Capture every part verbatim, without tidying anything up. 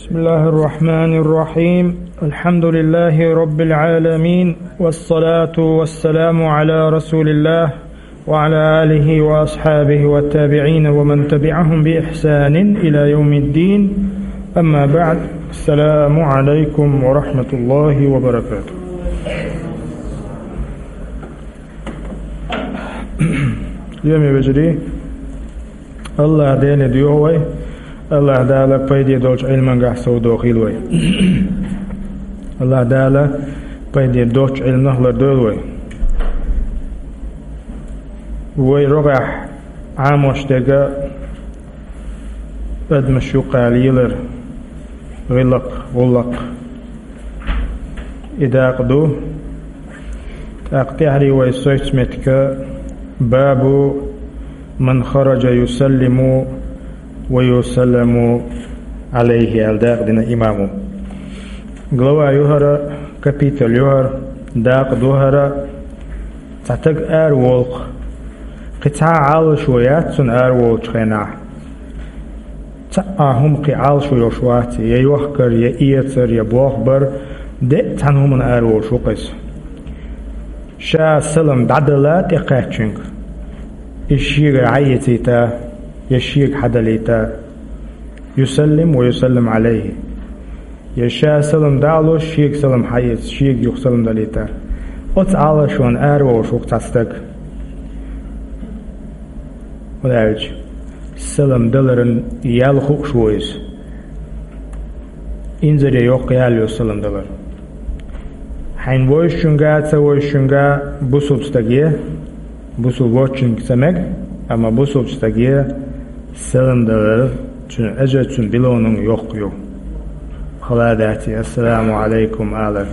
بسم الله الرحمن الرحيم. الحمد لله رب العالمين، والصلاة والسلام على رسول الله وعلى آله وأصحابه والتابعين ومن تبعهم بإحسان إلى يوم الدين. أما بعد، السلام عليكم ورحمة الله وبركاته. Йоме вежарий, АллахӀ Деле дуьхьал вай, АллахӀ Дала пайде долчу Ӏилмангахь совдохийла вай. АллахӀ Дала пайде доцчу Ӏилманах лардойла вай. Вай рогӀехь Ӏамош дерг адамаш юккъехь лелар, гӀиллакх, гӀуллакх. И дакъа ду. ТӀаккха тӀаьхьарий вай соьцу меттиг: «Бабу ман хараджа юсаллиму ва юсалламу Ӏалайхи», аьлла дакъа дина имамо. Глава ю хӀара, капитал ю хӀара, дакъа ду хӀара. Цхьа стаг ара волу-кх. Кхин цхьа а Ӏалашо яц цунна ара волучу хенахь. Цхьа а хӀума кхин Ӏалашо йолуш вац, я йохкар, я эцар, я болх бар, де а цхьана хӀуманна ара волуш ву-кх иза. Ша салам дӀадала тӀекхаьччуьнга, иза шегара хьаэцийта, я шега хьадалийта, юсаллим ва юсаллим Ӏалайхи. Я ша салам дӀа а луш, шега салам хьаэца, шега юха салам далийта. Оцу Ӏалашонна ара волуш ву-кх цхьа стаг. ХӀунда аьлча салам даларан ял хууш ву иза. Инзаре йоккха ял ю салам далар. Хьайна вовшашка а, ца вовшашка а бусулба стаге, бусулба воцчуьнга ца мега, амма бусулба стаге салам далар цуьнан эжар, цуьнан билонан йоккха ю. Хала дац и «Ассаламу Ӏалайкум» алар.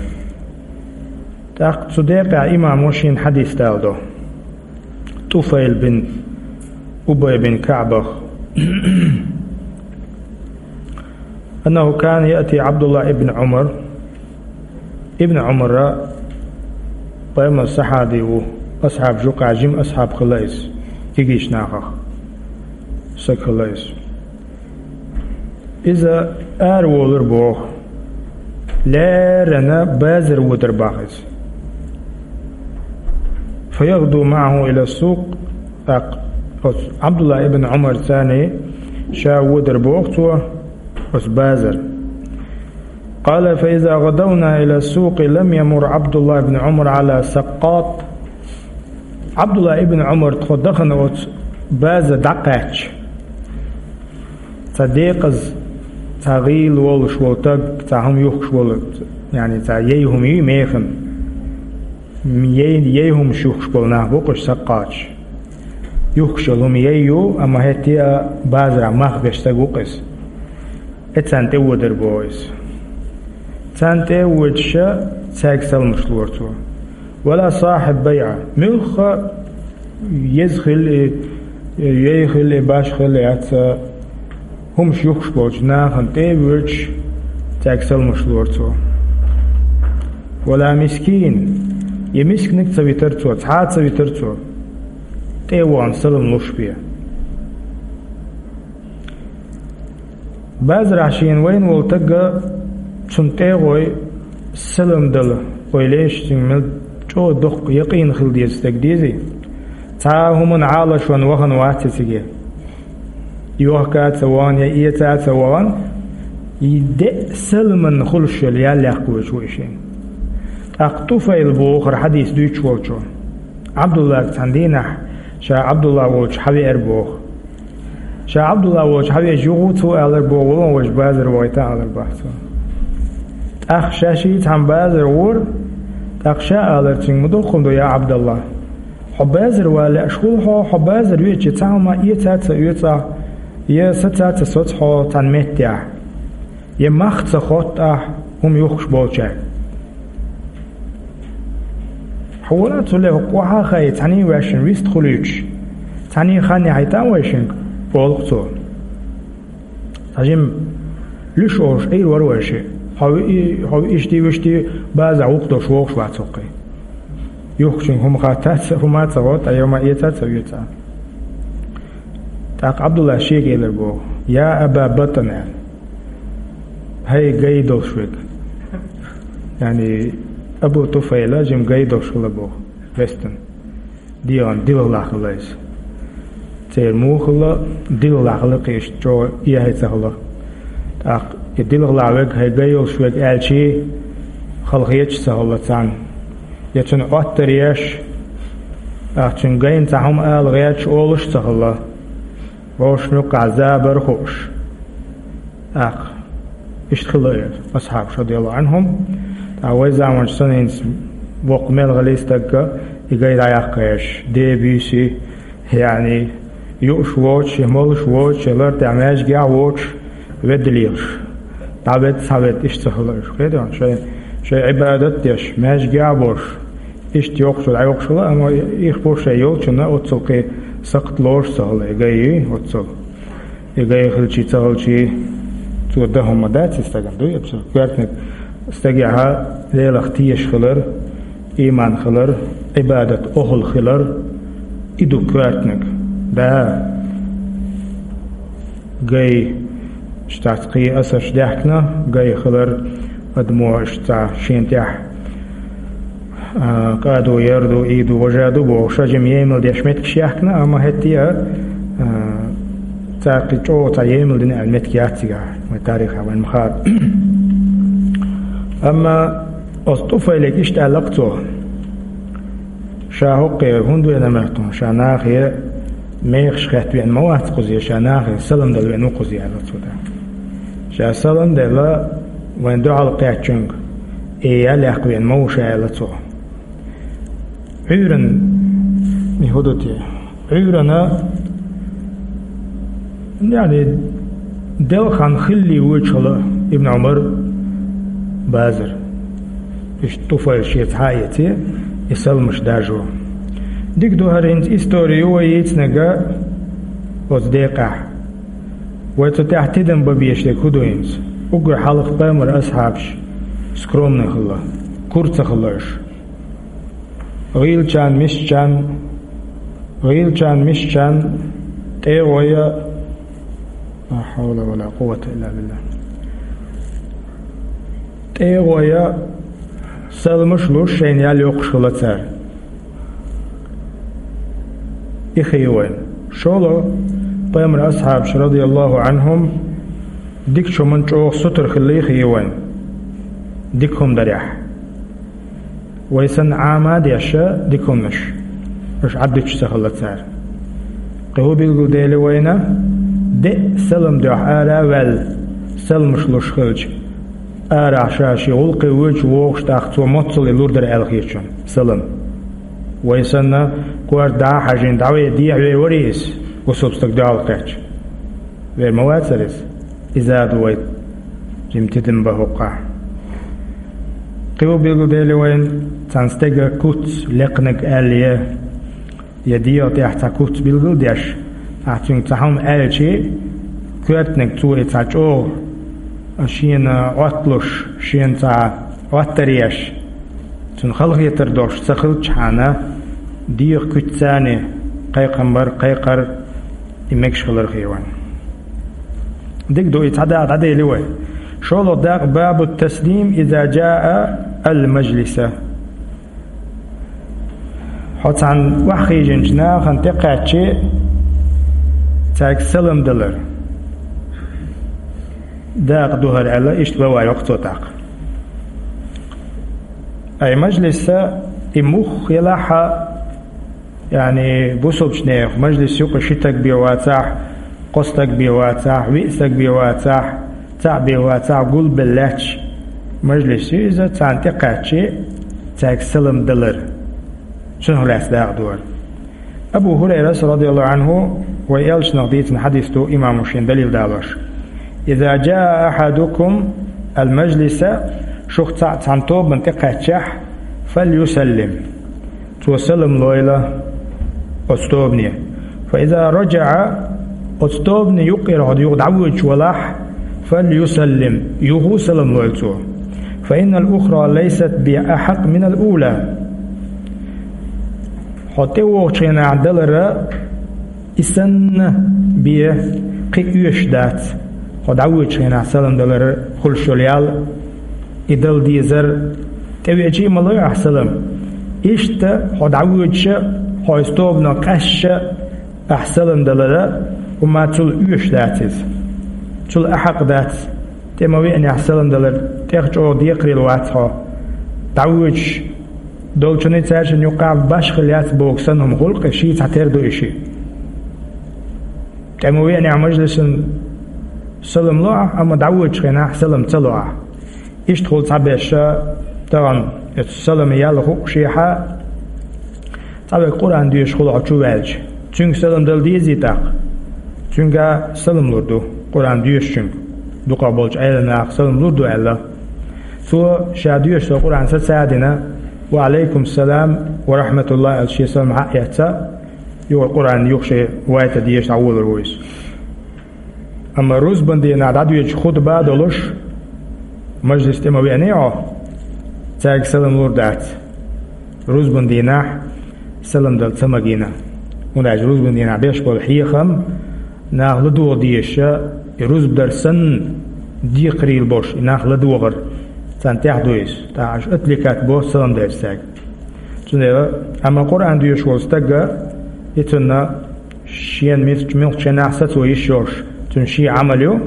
ТӀаккха цу декъехь имамо шена хьадис даладо. ТӀуфайл бин Убай бин КаӀбах. «أنه كان يأتي عبد الله بن عمر». Ибн Ӏумара, пайхамаран сахьаби ву, асхьабаш юкъахь жима асхьаб хилла иза, кегийчу нахах стаг хилла иза. Иза араволура боху, леррина базар водура боху иза. «فيغدو معه إلى السوق». ТӀаккха оцу Ӏабдулла ибн Ӏумарца ша водура боху цо оцу базар. قال: «فإذا غدونا إلى السوق لم يمر عبد الله بن عمر على سقاط». Ӏабдулла ибн Ӏумар тхо дахана оцу базар дӀакхаьчча, цхьа декъаза, цхьа гӀийла волуш волу стаг, цхьа хӀума юхкуш волу, яъни цхьа яй хӀума юй механа. Яй, яй хӀумаш юхкуш болу нах бу-кх уьш саккхаташ. Юхкуш йолу хӀума яй ю, амма хӀетте а базарахь мах беш стаг ву-кх иза. И царна тӀе водура боху иза. Царна тӀе а воьдуш, цаьрга саламаш лора цо. «ولا صاحب بيعة». Муьлхха еза хилла и, яй хилла и, башха хилла и, яц, хӀумаш юхкуш болчу нахана тӀе а воьдуш, цаьрга саламаш лора цо. «ولا مسكين». Я мисканиг ца витара цо, цхьа а ца витара цо, тӀе а вахана салам луш бен. Базарахь шена вайна волу стаг, цунна тӀе а гӀой салам дала, ойла еш, цуьнга мел чӀогӀа доккха якъин хила деза стаг дезий? Цхьа а хӀуманна Ӏалашонна вахана вац иза циге. Йохка а ца вахана, я эца а ца вахана, и де а саламан хуьлуш йолу ял яккха вуьйш ву и шена. ТӀаккха ТӀуфайл боху хӀара хьадис дуьйцуш волчо. Ӏабдуллага цхьана дийнахь ша Ӏабдулла волчу хьавеара боху. Ша Ӏабдулла волчу хьавеача, юха цо алар боху, валон, вайша базар вахийта алар боху цо. ТӀаккха ша шиъ цхьана базар гӀора, тӀаккха ша алар цуьнга: «Ма доккхун ду, я Ӏабдалла. Хьо базар ван лаьаш хуьлу хьо, хьо базар веача цхьа хӀума эца а ца оьцу ахь, я саца а ца соцу хьо цхьана меттехь, я мах ца хотту ахь хӀума юхкуш болчаьрга. Хьо вара цу ле хӀокху охьа а хаий, цхьаьний ваьшна вист хуьлуьйтуш, цхьаьний хан яхьийта а вайшинга», — олу-кх цо. Цхьа жима луьш олуш Ӏийр вара вайшиъ. Хьо ви-, хьо виъ иштий, вуьштий база гӀуллакх долуш вогӀуш вац хӀокхий. Юхкучуьнга хӀума хаттац, хӀума а ца гӀо, ткъа я ма эца а ца оьца. ТӀаккха Ӏабдулла шега элар боху: «Я Аба Батан», — аьлла. ХӀай гай долуш верг. Яъни, Абу Туфайла жима гай долуш хилла боху, вестан. ДегӀан дилхалахь хилла иза. Церан муха хилла, дилхалахь хилла кхин иштта чӀогӀа эхь ца хилла. ТӀаккха и дилхалахь верг, хӀай гай йолуш верг аьлчий, хала хеташ ца хилла царна. Я цунна Ӏоттар еш, тӀаккха цуьнан гайна цхьа хӀума ала гӀерташ олуш а ца хилла. Вовшашна юккъехь забар хууш. ТӀаккха иштта хилла и асхьабаш, радияллаху Ӏанхум. ТӀаккха вай заманчу санна хӀинца воккха мел хилла стаг а, и гай дӀаяккха еш, де буьйсий, яъни, юуш воцуш, я молуш воцуш, я лар тӀехь маьждигехь воцуш, ведда лелаш. ДӀаведда, схьаведда, иштта ца хилла уьш. Кхетий хьуна, шайн, шайн Ӏибадат а деш, маьждигехь а болуш, иштта йоккхачо дӀайоккхуш хилла, амма ирх бу шайн йолчунна оццул кхин сакхт лоруш ца хилла и гай, оццул. И гай хилчий, ца хилчий, цо дан хӀума дац и стагана, дуй, абсолют. Коьртаниг стагехь Делах тешаш хилар, ийман хилар, Ӏибадат охӀла хилар, и ду коьртаниг. Да, гай, иштта кхин асарш даьхкина, гай хилар, адамо иштта шена тӀехь а, кӀа ду, яр ду, и ду, важа ду бохуш, жима емал деш меттигаш яьхкина, амма хӀетте а, а, цара кхин чӀогӀа цхьа емал дина аьлла меттиг яц цигахь, вайн тарихехь вайна ма-хаъара. Амма оцу Туфайле иштта аьлла-кх цо: ша хӀокхуьнан хӀунда веана моьтту, ша нахе мехаш хетта веана ма вац кхуза, ша нахе салам дала веана ву кхуза, аьлла цо тӀаккха. Ша салам делла вайн дуьхьал кхаьчначуьнга, и ял яккха веана ма ву ша, аьлла цо. Ӏуьйранна, и хӀун ду те? Ӏуьйранна, яъни, делкъа хан хилале воьдуш хилла Ибн Ӏумар базар. Иштта Туфайл шеца хьаэций, и саламаш даржо. Дика ду хӀара, хӀинца истори ю вай йийцинарг оцу декъехь. Вай цу тӀехь тидам бан безаш дерг хӀун ду хӀинца? Уггар хьалха пайхамаран асхьабаш скромный хилла, кура ца хилла уьш. ГӀийлачарна, мисачарна, гӀийлачарна, мисачарна тӀегӀо я, ла хьавла ва ла къуввата илла биллахӀ. ТӀегӀо я, саламаш луш, шайна ял йоккхуш хилла цара. И хи ю вайн. ШолгӀа, пайхамаран асхьабаш, радияллаху Ӏанхум, дикачу хӀуманна чӀогӀа сутара хилла хи ю вайн. Дика хӀума дарехь. Вай санна Ӏама а деш дика хӀуманаш, уьш Ӏаддуьтуш ца хилла цара. Кхин хӀун билгалдели вайна, де а салам дуьхьа ара а ваьлла, саламаш луш хилча, арахь ша шен гӀуллакхе воьдуш вогӀуш, тӀаккха цо моццул и лур дара аьлла хеташ ву салам. Вай санна, корта дӀа а хьажийна, дӀаве дехьавер варий иза, бусалба стаг дуьхьал кхаьчча? Вер ма вацара иза? Иза а ду вай жима тидам бан хӀокхахь. Кхин хӀун билгалдели вайна, цхьана стеган куц лекханарг аьлла, я дегӀа тӀехь цхьа куц билгалдеш, ахь цуьнга цхьа хӀума аьлчий, коьртаниг цо и цхьа чӀогӀа шена Ӏотталуш, шена цхьа Ӏоттар еш, цунна халахетар долуш ца хилчхьана, дегӀа куьццани кхайкхам бар, кхайкхар и мегаш хилар хи вайн. Дика ду, и цхьа дакъа дӀадели вай. ШолгӀа дакъа: бабу таслим иза джаа ал-мажлиса. Хьо цхьана охьахиъначу нахана тӀекхаьччи, цаьрга салам далар дакъа ду хӀара аьлла, иштта бан вай йоккху цо тӀаккха. Ай мажлиса и мух елахьа, яъни бусалбачу нехан мажлис юкъа ши стаг бен вацахь, кхо стаг бен вацахь, виъ стаг бен вацахь, цхьаъ бен вацахь, гулбелла лаьтташ мажлис ю иза, царна тӀекхаьччи, цаьрга салам далар. Цунах лаьцна дакъа ду хӀара. Абу ХӀурайрас, радияллаху Ӏанху, вай элчанах дийцина хьадис ду, имамо шен далил далош: иза джаа ахьадукум ал-мажлиса, шух цхьаъ цхьана тобанна тӀекхаьччахь, фальюсаллим, цо салам лойла оцу тобане. Фа иза раджаа, оцу тобанан юккъера хьо юха дӀавоьдуш валахь, фальюсаллим, юха а салам лойла цо. Фа иннал ухра лайсат би ахьакъ минал ула. Хьо тӀевогӀучу хенахь далара и санна бен кхин оьшуш дац, Хьо дӀавоьдучу хенахь салам далар хуьлуш йолу ял, и дала дезар, тӀевеачий а ма лой ахь салам. Иштта хьо дӀавоьдуш а, хьо иза тобано къаьсташ а ахь салам далар, хӀума цул оьшуш дац иза. Цул ахьакха дац, тӀе ма веанехь салам далар, тӀех чӀогӀа декхарийла вац хьо. ДӀавоьдуш долчунна цаьршинна юккъехь башхалла яц боху санна хӀума хуьлу-кх, ший цхьатера ду и шиъ. ТӀе ма веанехь мажлисан салам ло ахь, амма дӀавоьдучу хенахь салам ца ло ахь. Иштта хуьлу цхьаберш, тахана оцу саламан ял хуъушехь, цхьаверг Къуръан доьшуш хуьлу хьо чу ваьлча, цуьнга салам дала дезий тӀаккха? Цуьнга салам лур ду, Къуръан доьшучуьнга, дукхах болчу Ӏеламнаха салам лур ду аьлла. Цо ша доьшу со Къуръан саца а дина, «Ва Ӏалайкум салам ва рахьматуллахӀ», аьлла, шен салам схьа а эцна, юха Къуръан юха шен вайта деша дӀаволур ву иза. Амма рузбан дийнахь дӀадоьдучу хутба а долуш, мажлис тӀе ма веаний хьо, цаьрга салам лур дац. Рузбан дийнахь салам дала ца магийна. ХӀунда аьлча рузбан дийнахь беш болу хьехам нах ладогӀа дезаш, и рузба дар санна декхарийла болуш, и нах ладогӀар, царна тӀехь ду иза. ТӀаккха аша отвлекать бо салам делча цаьрга. Цундела, амма Къуръан доьшуш волу стаг, и цунна шена мис-, муьлххачу хенахь сацо йиш йолуш, цуьнан шен Ӏамал ю,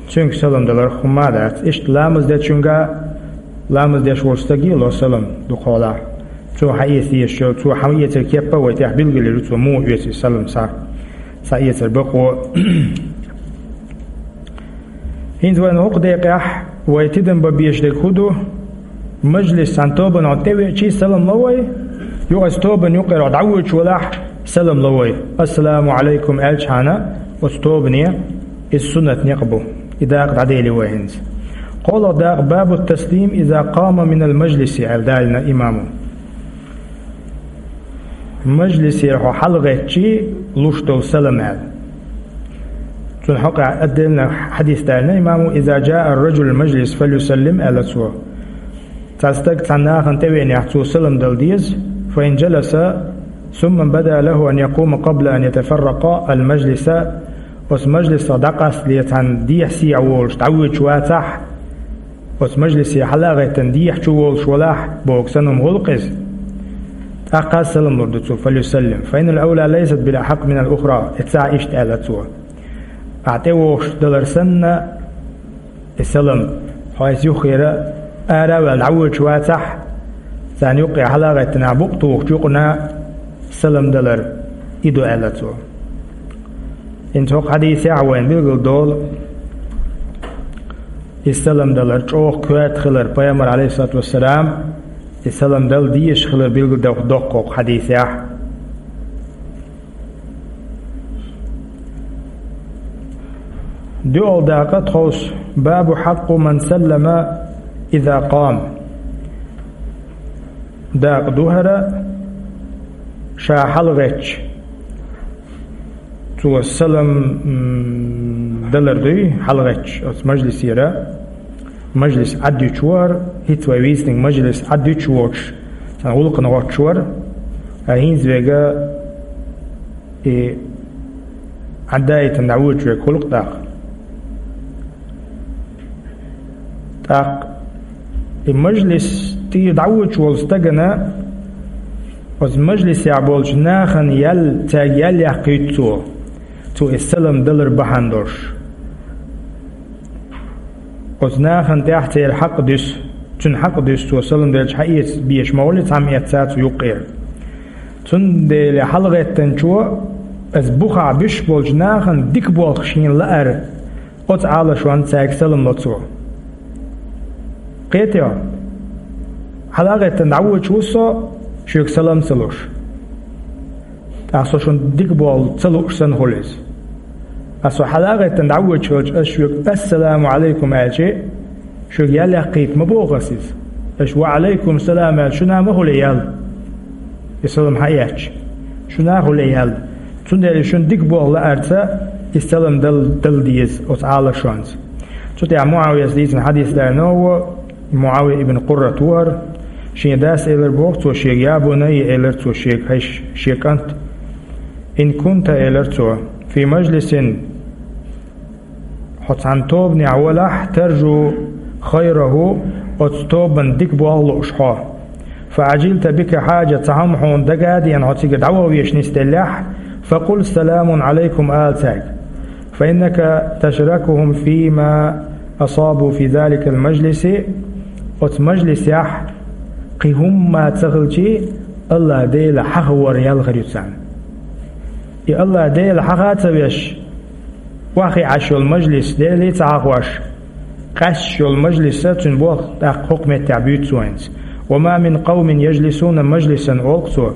цуьнга салам далар хӀума а дац. Иштта ламаз дечуьнга, ламаз деш волчу стаге а ло салам дукхахьолахь. Цо схьаэца дезаш йолу, цо схьаэцар кеп а вай тӀехь билгалйир ю, цо муха оьцу и салам схьа, схьаэцар бакъо. ХӀинца вайна хӀокху декъехь вай тидам бан безаш дерг хӀун ду? Мажлис цхьана тобано тӀевеачий салам ло вай, юха оцу тобанна юккъера дӀавоьдуш валахь салам ло вай. «Ассаламу Ӏалайкум» аьлчхьана, оцу тобане иза суннат некъ бу. И дакъа дӀадели вай хӀинца. КхоалгӀа дакъа: «Бабу таслим иза къама минал мажлиси», аьлла далийна имамо. Мажлисера хьо хьалагӀеттачий луш долу салам аьлла. Цунна хьокъехь отдельно хьадис далийна имамо: «Иза джаа ар-раджулу мажлис, фалюсаллим», аьлла цо. Цхьа стаг цхьана нахана тӀевеанехь, цо салам дала деза, «фа ин джаласа, сумма бада лаху ан якъума къабла ан ятафарракъа ал-мажлиса», оцу мажлисах дӀакъастале цхьана дехьа-сехьа волуш дӀавоьдуш вацахь, оцу мажлисе хьала а гӀеттина дехьа чу волуш валахь, боху санна хӀума хуьлу-кх иза. ТӀаккха салам лур ду цо, «фалюсаллим, фа иннал авла лайсат бил ахьакъ минал ухра», и цхьа иштта аьлла цо. Ахьа тӀевогӀуш далар санна, и салам, хьо иза юххера ара а ваьлла дӀавоьдуш вацахь, царна юккъе хьала а гӀеттина, букъ тухучу юкъана салам далар и ду аьлла цо. ХӀинца хӀокху хьадисехь вайна билгал долу и салам далар чӀогӀа коьрта хилар, пайхамар, Ӏалайхиссалату вассалам, и салам дала дезаш хилар билгал доккху хӀокху хьадисехь. ДоьалгӀа дакъа тховса: «Бабу хьакъу ман саллама иза къам». Дакъа ду хӀара, ша хьалагӀеттача, цо салам, м, далар дуй, хьалагӀеттача оцу мажлисера. Мажлис Ӏаддуьтуш ву хӀара, хӀинца вай вийцинарг мажлис Ӏаддуьтуш воцуш, цхьана гӀуллакхана гӀоттуш вара, ткъа хӀинца вега и Ӏаддаийтина дӀавоьдуш верг хуьлу-кх тӀаккха. ТӀаккха и мажлис тӀера дӀавоьдуш волу стагана, оцу мажлисехь болчу нахана ял, цаьрга ял яккхийта цо, цо и салам далар бахьана долуш. Оцу нахана тӀехь церан хьакъ дуьсу, цуьнан хьакъ дуьсу, цо салам делча хьаэца безаш ма хуьлу, цхьамма эцна цо юккъера. Цундела хьалагӀеттанчо, аса бухахь буьсуш болчу нахана дика болх шена лаар, оцу Ӏалашонца цаьрга салам ло цо. Кхетий хьо? Хьала а гӀеттина дӀавоьдуш ву со, шуьга салам ца луш. ТӀаккха со шуна дика болх ца лууш санна хуьлу иза. Аса со хьала а гӀеттина дӀавоьдуш хилча, аса шуьга «Ассаламу Ӏалайкум» аьлча, шуьга ял яккхийта ма боху аса иза. Аша «Ва Ӏалайкум салам» аьлча, шуна ма хуьлу ял. И салам хьаэцча, шуна а хуьлу ял. Цундела шуна дика болх лаарца и салам дал-, дала деза оцу Ӏалашонца. Цу тӀехь МуӀавияс дийцина хьадис даьлла ново, МуӀавия ибн Къуррат ву хӀара, шен дас элира боху цо шега, я бунаййа, элира цо шега, хӀай шен кӀант, ин кунта, элира цо, фи мажлисин, Оцу цхьана тобанехь валахь, таржу хайраху, оцу тобанна дика болх лууш хьо. Фа Ӏажилта бика хьаджа, цхьа хӀума хьуна дага а деана, хьо цига дӀаваха везаш нисделлехь, фа къул саламун Ӏалайкум ала цаьрга. Фа иннака ташракухум фима асабу фи заликал мажлиси, оцу мажлисехь кхин хӀумма ца хилчий, АллахӀ Дела хьахавар ял хир ю царна. И АллахӀ Дела хьаха а ца веш, охьахиъна Ӏаш йолу мажлис, Деле ца хьахош, къаьсташ йолу мажлиса цуьнан болх тӀаккха хӀокху меттехь буьйцу вайна. Ва ма мин къавмин яжлисуна мажлисан, олу цо.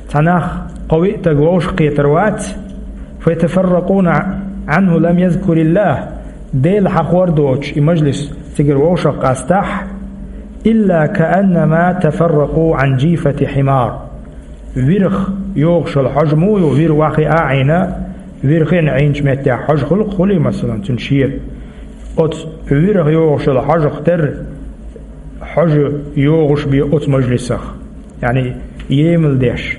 Цхьа нах кхо-виъ стаг вовшах кхетар вац, фа ятафарракъуна Ӏанху лам язкуриллахӀ, Дела хьахор доцуш и мажлис цигара вовшах къастахь, илла кааннама тафарракъу Ӏан жифати хьимар. Вирах йогӀуш йолу хьожа муха ю, вир охьахиъна а Ӏийна, вир хиъна Ӏийначу меттехь хьожа хуьлу-кх, хуьлий, масалан, цуьнан шера. Оцу вирах йогӀуш йолу хьожах терра, хьожа йогӀуш бен оцу мажлисах. Яъни, емал деш,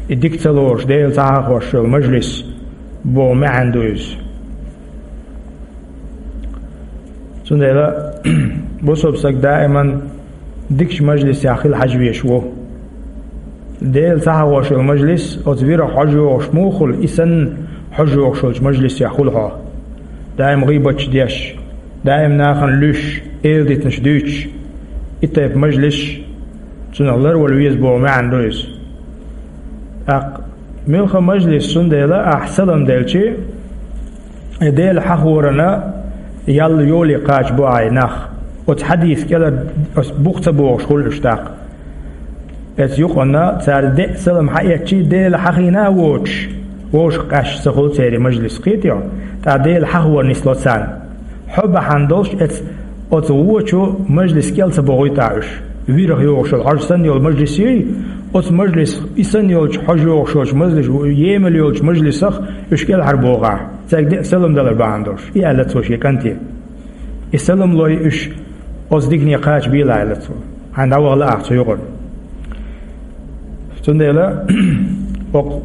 и дика ца лоруш, Дела ца хьахош йолу мажлис боху маьӀна ду иза. Цундела бусалба стаг даиман дикачу мажлисехь хила хьажа везаш ву. Дела ца хьахош йолу мажлис, оцу вирах хьожа йогӀуш муха хуьлу, и санна хьожа йогӀуш йолчу мажлисехь хуьлу хьо. Даим гӀийбаташ деш, даим нахана луьйш, эладитанаш дуьйцуш, и тайпа мажлисаш, цунах ларвала веза боху маьӀна ду иза. ТӀаккха муьлхха мажлис, цундела ахь салам делчи, и Дела хьахорана ял йоле кхача бу ахь и нах. Оцу хьадиса кӀелара оцу бух ца богӀуш хуьлу уьш тӀаккха. Оцу юкъана цара деа салам хьаэцчи, Дела хьахийна а воцуш, вовшах къаьсташ ца хуьлу церан мажлис, кхетий хьо? ТӀаккха Дела хьахор нисло царна. Хьо бахьана долуш, эц-, оцу вочу мажлис кӀел ца богӀуьйту ахь уьш. Вирах йогӀуш йолу хьожа санна йолу мажлис юй, оцу мажлис и санна йолчу хьожа йогӀуш йолчу мажлис, емал йолчу мажлисах уьш кӀелхьара богӀу ахь, цаьрга деа салам далар бахьана долуш, и аьлла цо шен кӀанте. И салам лой уьш оцу дикане кхача белахь, аьлла цо. Хьайна дӀаваха лаахь цу юкъара. Цундела хӀокху,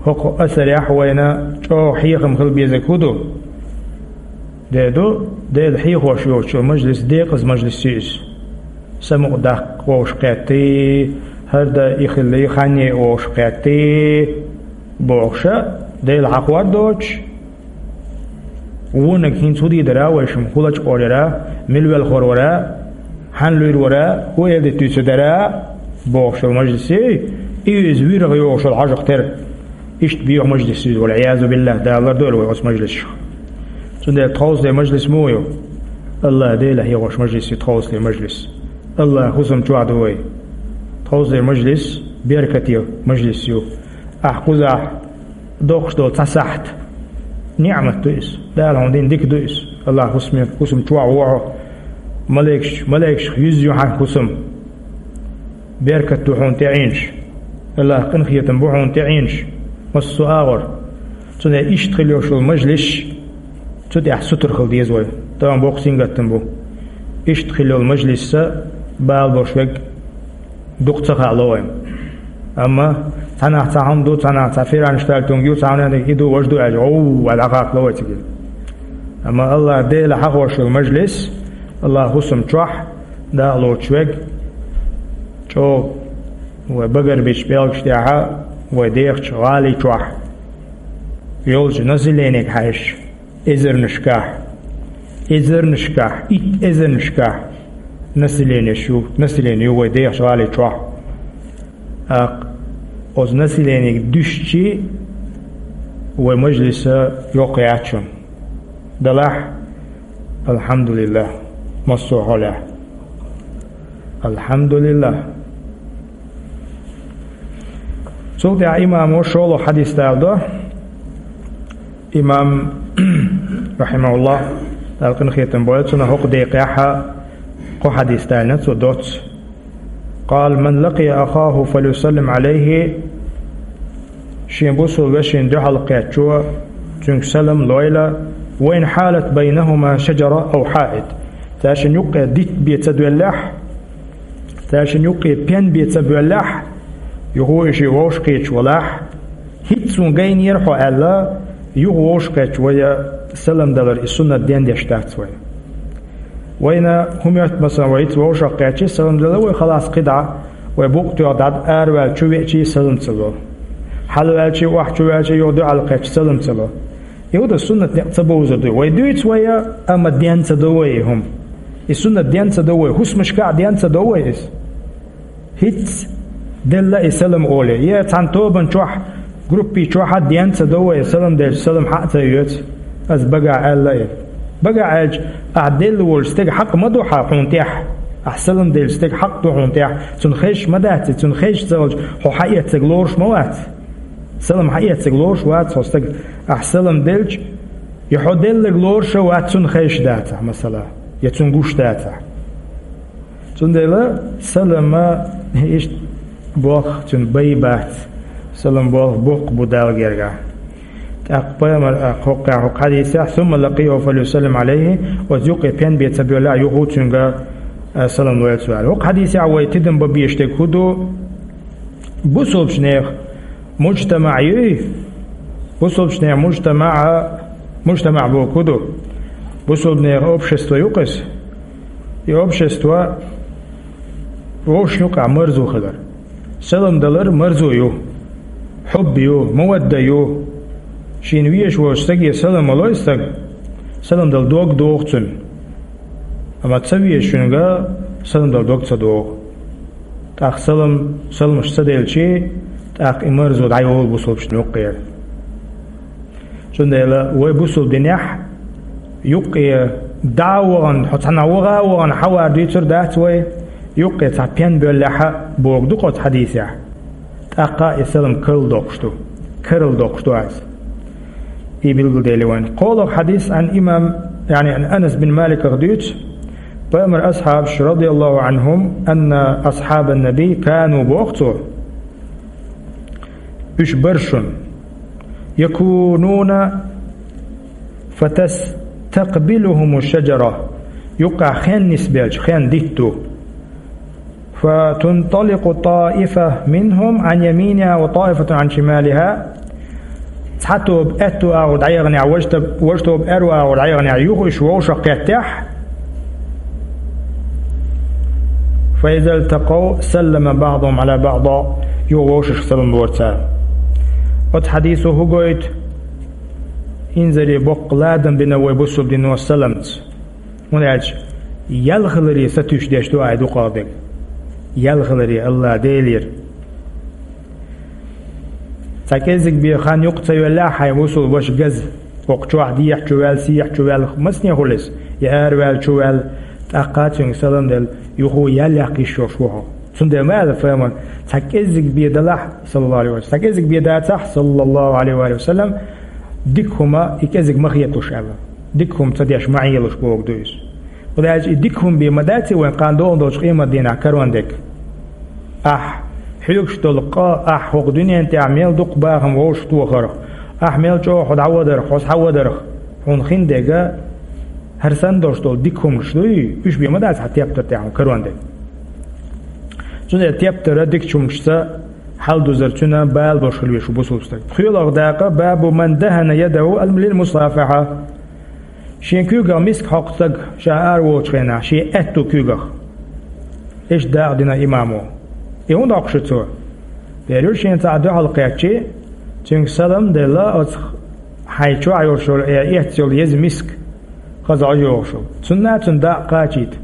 хӀокху асарехь вайна чӀогӀа хьехам хила безарг хӀун ду? Де ду, Дела хьехош йоцучу мажлис декъаза мажлис ю иза. Самукъадаккха вовшахкхетти, хӀара дан и хилли, ханне вовшахкхетти бохуша, Дела хьахор доцуш, вониг хӀинца хӀун дийр дара вайшимма, хӀун лачкъор яра, мила велхор вара, хьанна луьйр вара, хӀун эладита дуьйцур дара бохуш йолу мажлис ю, и иза вирах йогӀуш йолу хьожах тера. Иштта боьха мажлис ю иза, валъиязу биллахӀ, Дала лардойла вай оцу мажлисех. Цундела тховсале мажлис муха ю? АллахӀ Дела хьехош мажлис ю тховсале мажлис. АллахӀ хӀусам чохь ду вай. Тховсале мажлис беркате мажлис ю. Ахь кхузахь дохуш долу цхьа сахьт ниӀмат ду иза. Дала хьуна дина дика ду иза. АллахӀ хӀусаме, хӀусам чохь ву хьо. Малайкаш, малайкашах юьзна ю хьан хӀусам. Беркат ду хьуна тӀеӀинаш. АллахӀ къинхетам бу хьуна тӀеӀинаш. Массо а агӀор. Цундела иштта хила йолуш йолу мажлисаш, цу тӀехь сутара хила деза вай. Тахана боккха сингаттам бу. Иштта хила йолу мажлисца бала болуш верг дукха ца хаало вайна. Амма цхьанахь цхьа хӀума ду, цхьанахь цхьа фиран штальтунг ю, цхьанахь и ду, важа ду аьлча, гӀовва аьлла дӀакхакхало вай цига. Амма АллахӀ Дела хьахош йолу мажлис, АллахӀ хӀусам чохь дакъа лоцуш верг, чӀогӀа вай багарбичу пӀелгаш тӀехьа, вай дехачу гӀали чохь йолчу населениега хьаьжча, эзарнашкахь, эзарнашкахь, итт эзарнашкахь населенеш ю, население ю вай дехачу гӀали чохь. ТӀаккха оцу населениега дуьстичи вай мажлиса йоккха яц шуна. Далахь, алхьамдулиллахӀ, массо а хьолехь. АлхьамдулиллахӀ. Цул тӀаьхьа имамо шолгӀа хьадис даладо. Имам, рахьимахуллахӀ, Дала къинхетам бойла цунах, хӀокху декъехь кхо хьадис далийна цо доцца. Къала: «Ман лакъия ахаху фалюсаллим Ӏалайхи». Шен бусалба вешина дуьхьал кхеттачо цуьнга салам лойла, ва ин хьалат байнахума шаджара ав хьаит. Цаьршинна юккъе дитт бен ца доьллехь, цаьршинна юккъе пен бен ца боьллехь, юха и шиъ вовшахкхеташ валахь, хӀинца суна гайнера хьо аьлла, юха вовшахкхетча вай Салам далар и суннат дендеш дац вай. Вайна хӀума йоьтта, масала, вай ицца вовшах кхаьччи, салам дала вай, халас, кхидӀа вай букъ тоьхна дӀа араваьлла чу веачи салам ца ло. Хьалваьлчи, охьа чу ваьлчи, юха дуьхьал кхаьччи салам ца ло. И хӀу да суннат некъ ца бовзар ду. Вай дуьйцу вай, амма ден ца до вай и хӀума. И суннат ден ца до вай, хӀусамашка а ден ца до вай иза. ХӀинцца делла и салам оле. Е цхьана тобан чохь, группи чохь а ден ца до вай, салам делча, салам хьа а ца йоьцу. Ас багахь аьлла и. Багахь аьлча, ахь делла волчу стеган хьакъ ма ду хьа хьуна тӀехь. Ахь салам делча стеган хьакъ ду хьуна тӀехь. Цунна хезаш ма дац и, цунна хезаш ца хилча, хьо хьаэццаг лоруш ма вац. Салам хьаэццаг лоруш вац хьо стаг. Ахь салам делча, я хьо деллаг лоруш а вац, цунна хезаш дацахь, масала, я цунна гуш дацахь. Цундела салама иштта болх цуьнан бай бац, салам болх боккха бу Далла гергахь. ТӀаккха пайхамар, а, кхоккхехь хӀокху хьадийсехь: «Сумма лакъияху фалюсаллим алейхи», оцу юккъе пен бен ца боьллехь, юха цуьнга, а, салам лойла цо аьлла. ХӀокху хьадийсехь вай тидам бан безаш дерг хӀун ду? Бусулбачу нехан мужтамаъ юй? Бусулбачу нехан мужтамаъ, мужтамаъ бохург хӀун ду? Бусулба нехан общество ю-кх иза. И общество вовшашна юкъахь марзо хилар. Салам далар марзо ю, хьуб ю, мавадда ю. Шена везаш волчу стаге салам ма ло и стаг, салам дала дог догӀу цуьнан. Амма ца везачуьнга салам дала дог ца догӀу. ТӀаккха салам, саламаш ца делчи, тӀаккха и марзо дӀайолу бусулбачу юккъера. Цундела вай бусулба динехь юккъе дӀа а вахана, хьо цхьана ваха а вахана, хьавар дуьйцур дац вай, юккъе цхьа пен боьллехь а бохург ду-кх оцу хьадийсехь. ТӀаккха и салам карладоккхуш ду. Карладоккхуш ду иза. И билгалдели вайн. КхоалгӀа хьадис Ӏан имам, яъни Ӏан Анас бин Маликах дуьйцу, пайхамар асхьабаш, радияллаху Ӏанхум, анна асхьабан наби кану, боху цо, уьш бара шуна, якунуна фатастакъбилухуму шаджара, юккъехь хен нисбелча, хен дитт ду. «Фатунталикъу таифа минхум Ӏан яминиха ва таифатун Ӏан шималиха». Цхьа тоба аьтту агӀор дӀаяханехь, важа тоб-, важа тоба аьрру агӀор дӀаяханехь, юха уьш вовшах кхеттехь, «фаиза лтакъав саллама баъдухум Ӏала баъд», юха вовшашка салам лора цара. Оцу хьадисо хӀун гойту? Инзаре боккха ладам бина вай бусулба дино саламца. ХӀунда аьлча, ялхаларе сатуьйсуш деш ду айхьа дукхах дерг. Ялхаларе, Алла Делера. Цхьа кӀеззиг бен хан юкъа ца йоьллехь хьайн бусулба ваша газа, хӀокху чохь дехьа чу ваьлла, сехьа чу ваьлла, масане хуьлу иза, я араваьлла чу ваьлла, тӀаккха цуьнга салам делла, юха ял яккха йиш йолуш ву хьо. Цундела ма аьлла пайхамара, цхьа кӀеззиг бен далахь, саллаллаху Ӏалайхи ва саллам, цхьа кӀеззиг бен дацахь, саллаллаху Ӏалайхи ва саллам, дика хӀума и кӀеззиг ма хеталуш аьлла. Дика хӀума ца деш ма Ӏелуш бохург ду иза. ХӀунда аьлча и дика хӀума бен ма дац и вайн кхана догӀун долчу къематдийнахь карон дерг. Ахь хьоьгуш долу къа, ахь хӀокху дуьнен тӀехь мел дукха бахам вовшахтохарх, ахь мел чӀогӀа хьо дӀавадарх, хьо схьавадарх, хьуна хин дерг, хӀара санна долуш долу дика хӀуманаш дуй, уьш бен ма дац хьан тептар тӀехь хьуна карон дерг. Цундела тептар дикачу хӀуманашца хьалдузар цуьнан бала болуш хила везаш ву бусулба стаг. ПхоьалгӀа дакъа: «Бабу ман дахана ядаху лил мусафаха». Шен куьйгах миска хьокху стаг ша ара волчу хенахь, шен аьтту куьйгах. Иштта дакъа дина имамо. И хӀунда доккхуш ду цо? Дера ю шена цхьаъ дуьхьал кхаьччи, цуьнга салам а делла, оцу хьайн чохь йолуш йолу, э, эцна йолу еза миска хаза Ӏожа йогӀуш йолу. Цунна а цуьнан дакъа кхачийта.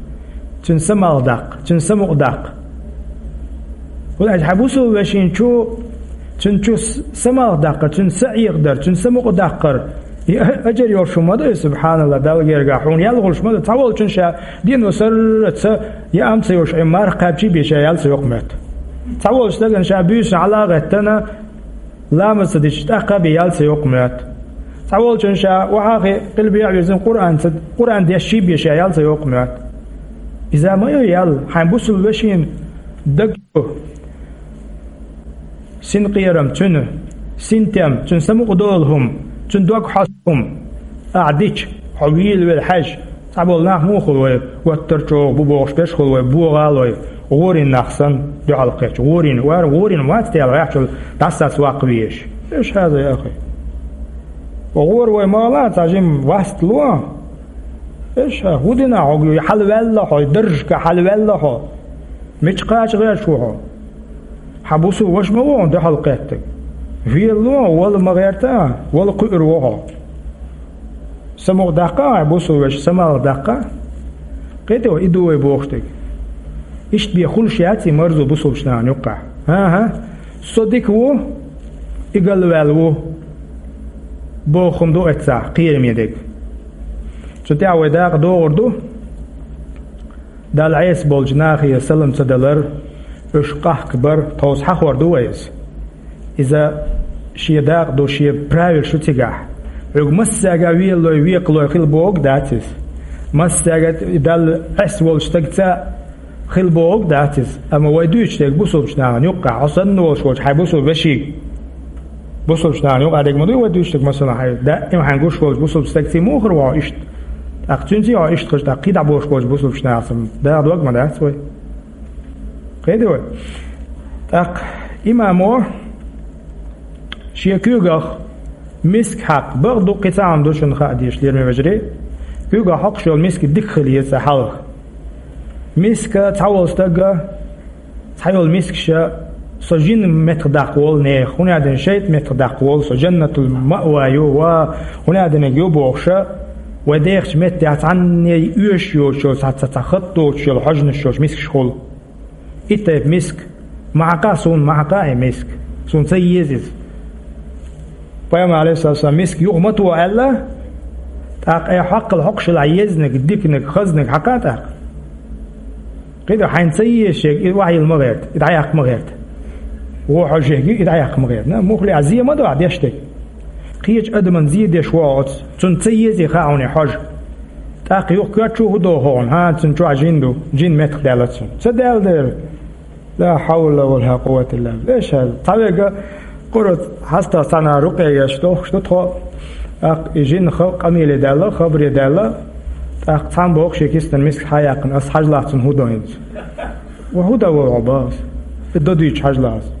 Цуьнан самалх даккха, цуьнан самукъа даккха. ХӀунда аьлча хьан бусулба вешин чу, цуьнан чу с-, самалх даккхар, цуьнан са Ӏехадар, цуьнан самукъа даккхар, и а-, аджар йолуш хӀума ма ду и, субханалла, Далла гергахь хьуна ял хуьлуш ма ду. Цхьаволчун ша дено сарра ца яам ца йолуш, Ӏин марха кхаьбчий бен ша ял ца йоккха моьтту. Цхьаволчу стагана ша буьйсанна хьала а гӀеттана, ламаз ца дича, тӀаккха а бен ял ца йоккха моьтту. Цхьаволчун ша охьахи къилбехьа вирзина Къуръан ца, Къуръан дешчий бен ша ял ца йоккха моьтту. Иза ма ю ял, хьайн бусулба вешин даг чу синкъерам, цуьнан синтем, цуьнан самукъадолу хӀума, цуьнан дог хьосту хӀума ахь дича, хьо вийла велла хьаьжча, цхьаболу нах муха хуьлу вай, оттар чӀогӀа бу бохуш берш хуьлу вай, богӀал вай, гӀорин нах санна, дуьхьал кхетча, гӀорин, вара гӀорин вац тела ваьхчул дӀасаца ваккха везаш. Эш хьаза, я ахи. ГӀора вай ма гӀала, цхьа жима васт ло. Эш, хӀу дина хьо, хьалаваьлла хьо, даржашка хьалаваьлла хьо. Мича кхача гӀерташ ву хьо? Хьан бусулба ваша ма ву хьуна дуьхьал кхеттарг. Велало, вала ма гӀерта, вала кхуьур ву хьо. Самукъадаккха хьайн бусулба вешин, самукъадаккха. Кхетий хьо, и ду вай бохуш дерг. Иштта бен хуьлуш яц и марзо бусулбачу нахана юккъехь. ХӀан-хӀа, со дика ву, и галваьлла ву, боху хӀума ду эццахь кхераме дерг. Цу тӀехь вай дакъа догӀур ду. Далла Ӏеса болчу нахе салам ца далар, уьш къахкабар, тховса хьахор ду вай иза. Иза шен дакъа ду, шен правилаш ю цигахь. Хьоьга массаьрга велалой, векхалой хила бохург дац иза. Массаьрга Далла Ӏеса волчу стагца хила бохург дац иза. Амма вай дуьйцуш дерг бусулбачу нахана юккъехь, хьо санна волуш волчу хьайн бусулба вешига. Бусулбачу нахана юкъахь дерг ма дуй вай дуьйцуш дерг, масала, хьайн даима хьайн гуш волчу бусулба стагций муххара ву хьо иштта. ТӀаккха цуьнций хьо иштта хезча, тӀаккха кхидӀа болуш болчу бусулбачу нахаца дагадогӀу ма дац вай. Кхетий вай? ТӀаккха имамо шен куьйгах миска хьакха, бакъ ду, кхин цхьа хӀума ду шуна хаа дезаш, лераме вежарий. Куьйгах хьокхуш йолу миска дика хила еза цкъа хьалха. Миска цхьаволу стага, цхьайолу мискаша со жин меттах даккха волу нехан, хӀунда аьлча шайтӀа меттах даккха волу со, жаннатул маъва ю, ва хӀунда аьлча ю бохуша, вай дехачу меттехь цхьанне оьшуш йоцуш йолу, цхьа, цхьа, цхьа хатта доцуш йолу хьожанаш йолуш мискаш хуьлу. И тайпа миска ма хьакха суна, ма хьакха и миска. Суна ца еза иза. Пайхамар, алейхиссалам, миска юха ма то аьлла, тӀаккха э хьоккхал хьокхуш хилахь езниг, диканиг, хазниг хьакха тӀаккха. КхидӀа хьайна ца езаш ерг, и вахьийла ма гӀерта, и дӀаяккха ма гӀерта. Вон хьожа ерг, и дӀаяккха ма гӀерта. На, муххале а зе ма до ахь деш дерг. Кхечу адаман зе деш вогӀу оцу, цунна ца езий хаьа хьуна и хьожа. ТӀаккха юха коьртачу хӀун доху хьуна? ХӀан, цуьнан чохь жин ду, жин меттах даьлла цунна. Ца даьлла дера. Ла хьавла ва ла къуввата илла билла. Эша, цхьаверг къура хьастагӀа цхьана рукъе еш дохуш ду тхо. ТӀаккха и жин ха-, къамеле даьлла, хабаре даьлла. ТӀаккха цхьаьна боху шен киснан миска хьаяьккхина, ас хьажалахь цунна хӀун до хӀинца. Ва хӀун дан вара хьо боху ас? И до дуьйцуш хьажалахь ас.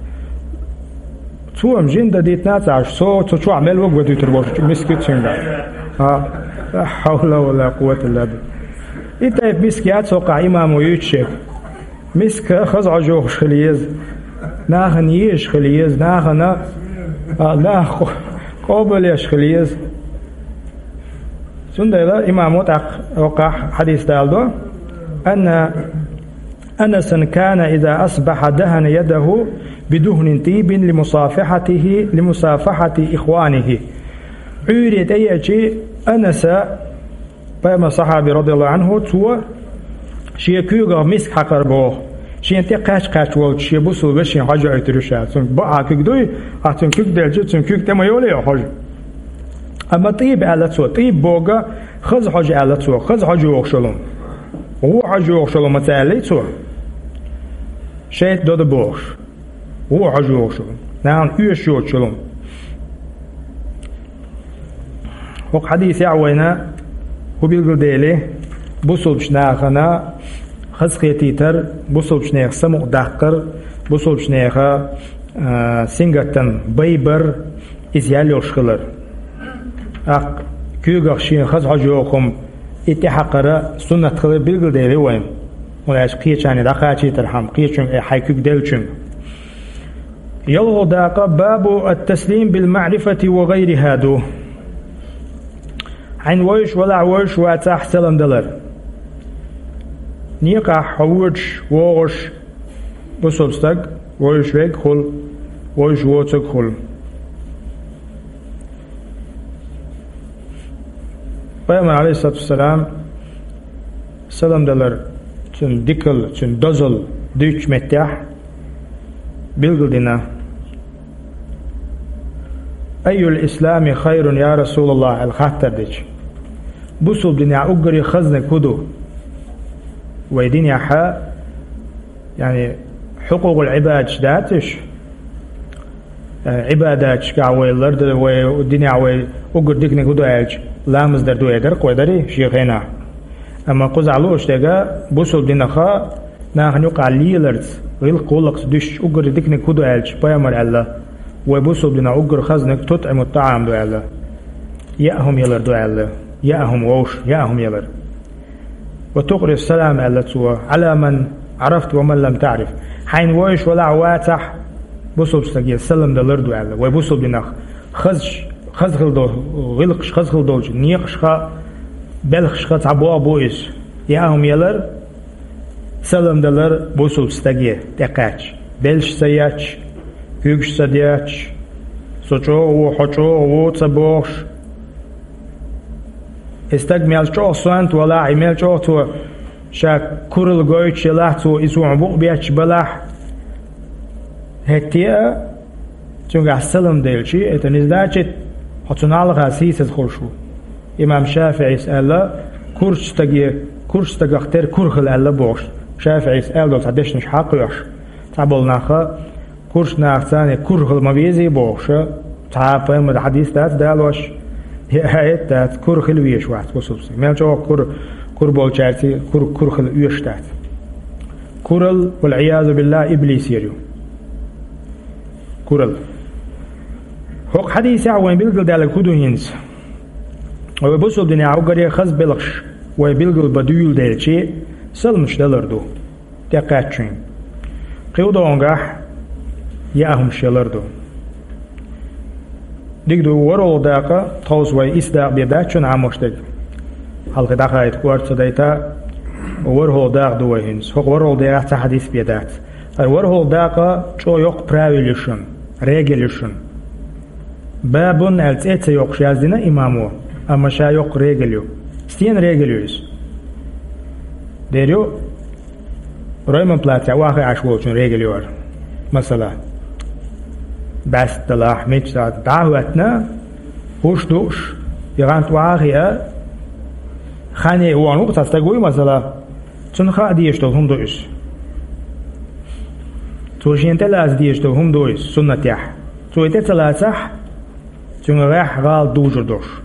Цо-м жин дан дитина ца Ӏаш, со цу чохь мел ваг ван дуьтур волчу миска цуьнга. А, ла хьавла ва ла къуввата илла билла. И тайпа миска яц хӀокхахь имамо юьйцуш ерг. Миска хаза хьожа йохуш хила еза. Нахана езаш хила еза, нахана, а, нах къо-, къобалъеш хила еза. Цундела имамо тӀаккха хӀокхахь хьадис даладо: «Анна Анасан кана иза асбаха дахана ядаху бидухнин тибин лимусафахатихи, лимусафахати ихванихи». Ӏуьйре тӀееачи Анаса, пайхамар сахьаби, радияллаху анху, цо шен куьйгах миска хьакхар боху, шен тӀе кхаьч-кхаьч волчу шен бусул вешин хьожа ойтур ю ша. Цуьнан бакъахьа куьг дуй, ахь цуьнан куьг делча, цуьнан куьг тӀе ма йолий хьожа. Амма тӀийба аьлла цо, тӀийба бога хаза хьожа аьлла цо, хаза хьожа йохуш йолу. Вон хьожа йохуш йолу ма ца аьллий цо. ШайтӀа дода бохуш. Вон хьожа йохуш йолу. Нахана оьшуш йоцуш йолу. ХӀокху хьадисехь вайна хӀун билгалдели, бусулбачу нахана хазахетийтар, бусулбачу нехан самукъадаккхар, бусулбачу нехан, а, сингаттан байбар, иза ял йолуш хилар. ТӀаккха куьйгах шен хаза хьожа йоху хӀума и тӀехьакхара суннат хилар билгалдели вайна. ХӀунда аьлча кхечарна дӀакхачийтархьама, кхечуьнга, э, хьайн куьг деллачуьнга. ЯлхолгӀа дакъа бабу ат-таслим бил маърифати ва гӀайриха ду. Хьайна вевзаш валахь, вевзаш вацахь салам далар. Некъахь хьо воьдуш, вогӀуш, бусулба стаг, вевзаш верг хуьлу, вевзаш воцург хуьлу. Пайхамар, алейхиссалату вассалам, салам далар, цуьнан дикал, цуьнан дозал дуьйцучу меттехь билгалдина: «Айюл ислами хайрун, я Расулаллах?» аьлла хаттар дича, бусулба динехь уггаре хазнаг хӀун ду? Вай динехьа, яъни, хьукъукъул Ӏибадаш дац уьш? Э, Ӏибадаташкахь вай ларда, вай динехь вай уггар диканиг хӀун ду аьлча, ламаз дар ду, э, дара-кх вай, дарий, шен хенахь. Амма кхузахь лууш дерг, бусулба динаха нахана юкъахь леларца, гӀиллакх-гӀуллакхца дуьстича уггар диканиг хӀун ду аьлча, пайхамар аьлла, вай бусулба динехь уггар хазнаг тутӀимут-тӀаам ду аьлла. Яа хӀума ялар ду аьлла. Яа хӀума вовш, яа хӀума ялар. «وتقرئ السلام», аьлла цо, «على من عرفت ومن لم تعرف». Хьайна вовзаш валахь, вацахь, бусулба стаге салам далар ду аьлла. Вай бусулба динах хазаш, хаза хила дол-, гӀиллакхаш хаза хила долча некъашха, белхашха цхьа бохам бу иза. Яа хӀума ялар, салам далар бусулба стаге тӀекхаьчча, белш ца етташ, куьйгаш ца детташ, со чӀогӀа ву, хьо чӀогӀа ву ца бохуш. И стаг мел чӀогӀа сонта валахь, и мел чӀогӀа цо ша куралла гойтуш елахь, цо и цунах букъ бетташ балахь, хӀетте а цуьнгахь салам делча, это не значит, хьо цунна хьалха сийсаза хуьлуш ву. Имам ШафиӀис аьлла: «Курчу стаге, курчу стагах тера кура хила», аьлла бохуш. ШафиӀис аьлла долу цхьа дешнаш хьакхоьхьуш, цхьаболу наха курчу нахаца кура хила ма везий бохуш, цхьа а пайхамаран хьадис дац далош, я аят дац, кура хила везаш вац бусулба стаг. Мел чӀогӀа кура, кура болчаьрца кура, кура хила оьшуш дац. Куралла, валӀиязу биллахӀ, иблисера ю. Куралла. ХӀокху хьадисехь вайн билгалдаьлларг хӀун ду хӀинца? Вай бусулба динехь уггаре хаза белхаш вай билгал бан дуьйладелча, саламаш далар ду тӀекхаьчначунна. Кхин догӀангахь яа хӀумаш ялар ду. Дика ду, ворхӀалгӀа дакъа, тховса вай исс дакъа бен дац шуна Ӏамош дерг. Хьалха дӀахаийта кӀорда ца дайта, ворхӀалгӀа дакъа ду вай хӀинца. ХӀокху ворхӀалгӀа декъехь цхьа хьадис бен дац. ХӀара ворхӀалгӀа дакъа чӀогӀа йоккха правил ю шуна, регель ю шуна. «Бабун» аьлла цӀе а ца йоккхуш яздина имамо, амма ша йоккха регель ю. Стенан регель ю иза? Дера ю, Ройман плацехь охьахиъна Ӏаш волчун регель ю хӀара. Масала, бӀаьста далахь, мича дӀа а хӀоьттина, хӀуш дууш, и гӀант охьа а хиъна, хьане а вахана ву-кх цхьа стаг вуй, масала, цунна хаа дезаш долу хӀума ду иза. Цо шена тӀелаца дезаш долу хӀума ду иза суннатехь. Цо и тӀе ца лацахь, цуьнан гӀехь гӀала дужур долуш.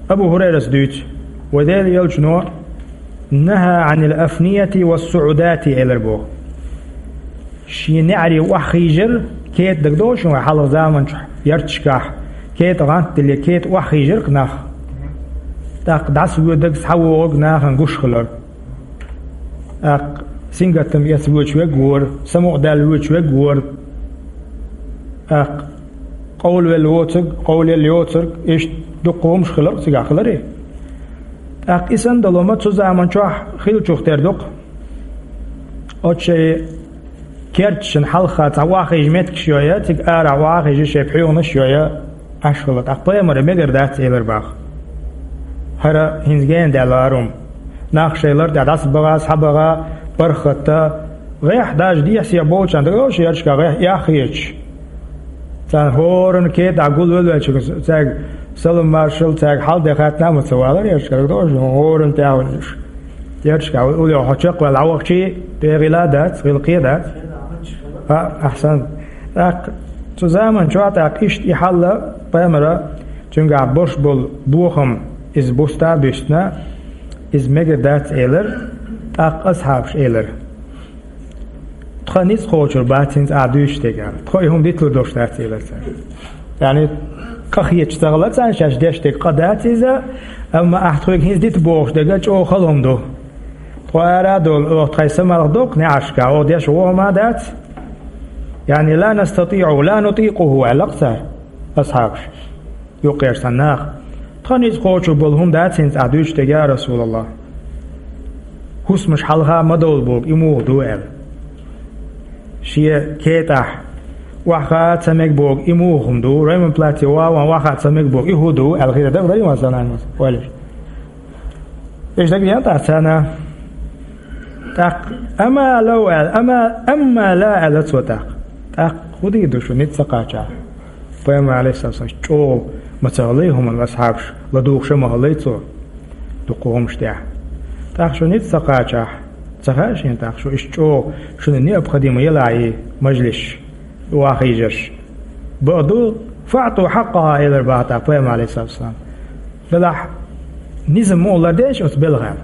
Абу ХӀурайрас дуьйцу, вай Делан Элчано: «نهى عن الأفنية والصعودات», элира боху. Шен неӀаре охьахийжар, кета дагадогӀу шуна вай хьалха заманчохь ярташкахь, кета гӀант дилле, кета охьахийжар-кх нах. ТӀаккха дӀасавоьдург, схьавогӀург нахана гуш хилар. ТӀаккха сингаттам эца воьдуш верг вора, самукъадаьлла воьдуш верг вора. ТӀаккха къовлавелла воцург, къовлаелла йоцург, иштта дуккха хӀумаш хилар-кх цигахь, хиларий? ТӀаккха и санна долу хӀума цу заманчохь хиллачух тера ду-кх. Оцу шайн керташна хьалха цхьа охьахийжа меттигаш йой, цига арахь охьахийжа шайн пхьоьханаш йой, Ӏаш хилла. ТӀаккха пайхамаре мегар дац элира боху. ХӀара хӀинца гена даьлла хӀара хӀума. Нах шайн лар тӀехь дӀасабаха, схьабаха, бархӀ хӀотта, гӀехь даже дехьа-сехьа болчарна дагадогӀу шен ярташкахь гӀехь охьахийча. Царна хӀоранна кета гулвелла велча, цаьрга салам-маршалла, цаьрга хьал-де хаттар а ма ца валара ярташкахь, дагадогӀу шуна, хӀоранна тӀехь а вуьллуш. Ярташкахь уллехь хьо чекхваьлла дӀавахчий, тӀе гӀила а дац, гӀиллакхе а дац. А, ахьсан. ТӀаккха цу заманчохь тӀаккха иштта и хьал пайхамара, цуьнгахь болуш болу бохам иза буста а буьстина, иза мегар дац элира, тӀаккха асхьабаша элира: «Тхан ницкъ кхочур бац хӀинца ахь дуьйцуш дерг», аьлла. «Тхо и хӀума диталур долуш дац», элира цара. Яъни, къа хеташ ца хилла царна шаьш деш дерг къа дац иза, амма ахь тхоьга хӀинца дита бохуш дерг чӀогӀа хала хӀума ду. Тхо ара а долу, оха тхайн самалх доккху неӀаршка, оха деш вон хӀума а дац. Яъни, «لا نستطيع، لا نطيقه», аьлла-кх цара, асхьабаша. Юккъерчу цхьана наха: «Тхан ницкъ кхочур болу хӀума дац хӀинца ахь дуьйцуш дерг, я РасулаллахӀ. ХӀусамаш хьалха ма довла боху, и муха ду?» аьлла. Шен кетӀахь охьахаа ца мега боху, и муха хӀума ду? Ройман плаце ван охьахаа ца мега боху, и хӀун ду? аьлла хир дара, ма санна, ма ца валиш. Иштта дагадеана тӀаккха царна. ТӀаккха: «أما لو», аьлла, «أما، أما لا», аьлла цо тӀаккха. ТӀаккха хӀун дийр ду шу ницкъ ца кхачахь? Пайхамар, Ӏалайхиссалату вассалам, чӀогӀа ма ца хилла хӀуманна асхьабаш, ладугӀуш а ма хилла цо дуккха хӀуманаш тӀехь. ТӀаккха шу ницкъ ца кхачахь, ца хаьа шена тӀаккха шу иштта чӀогӀа шуна необходимо елахь и мажлис, охьахийжарш? Бакъду, «فأعطوا حقها», элира боху тӀаккха пайхамар, Ӏалайхиссалату вассалам. Делахь, низам муха лардеш оцу белхан?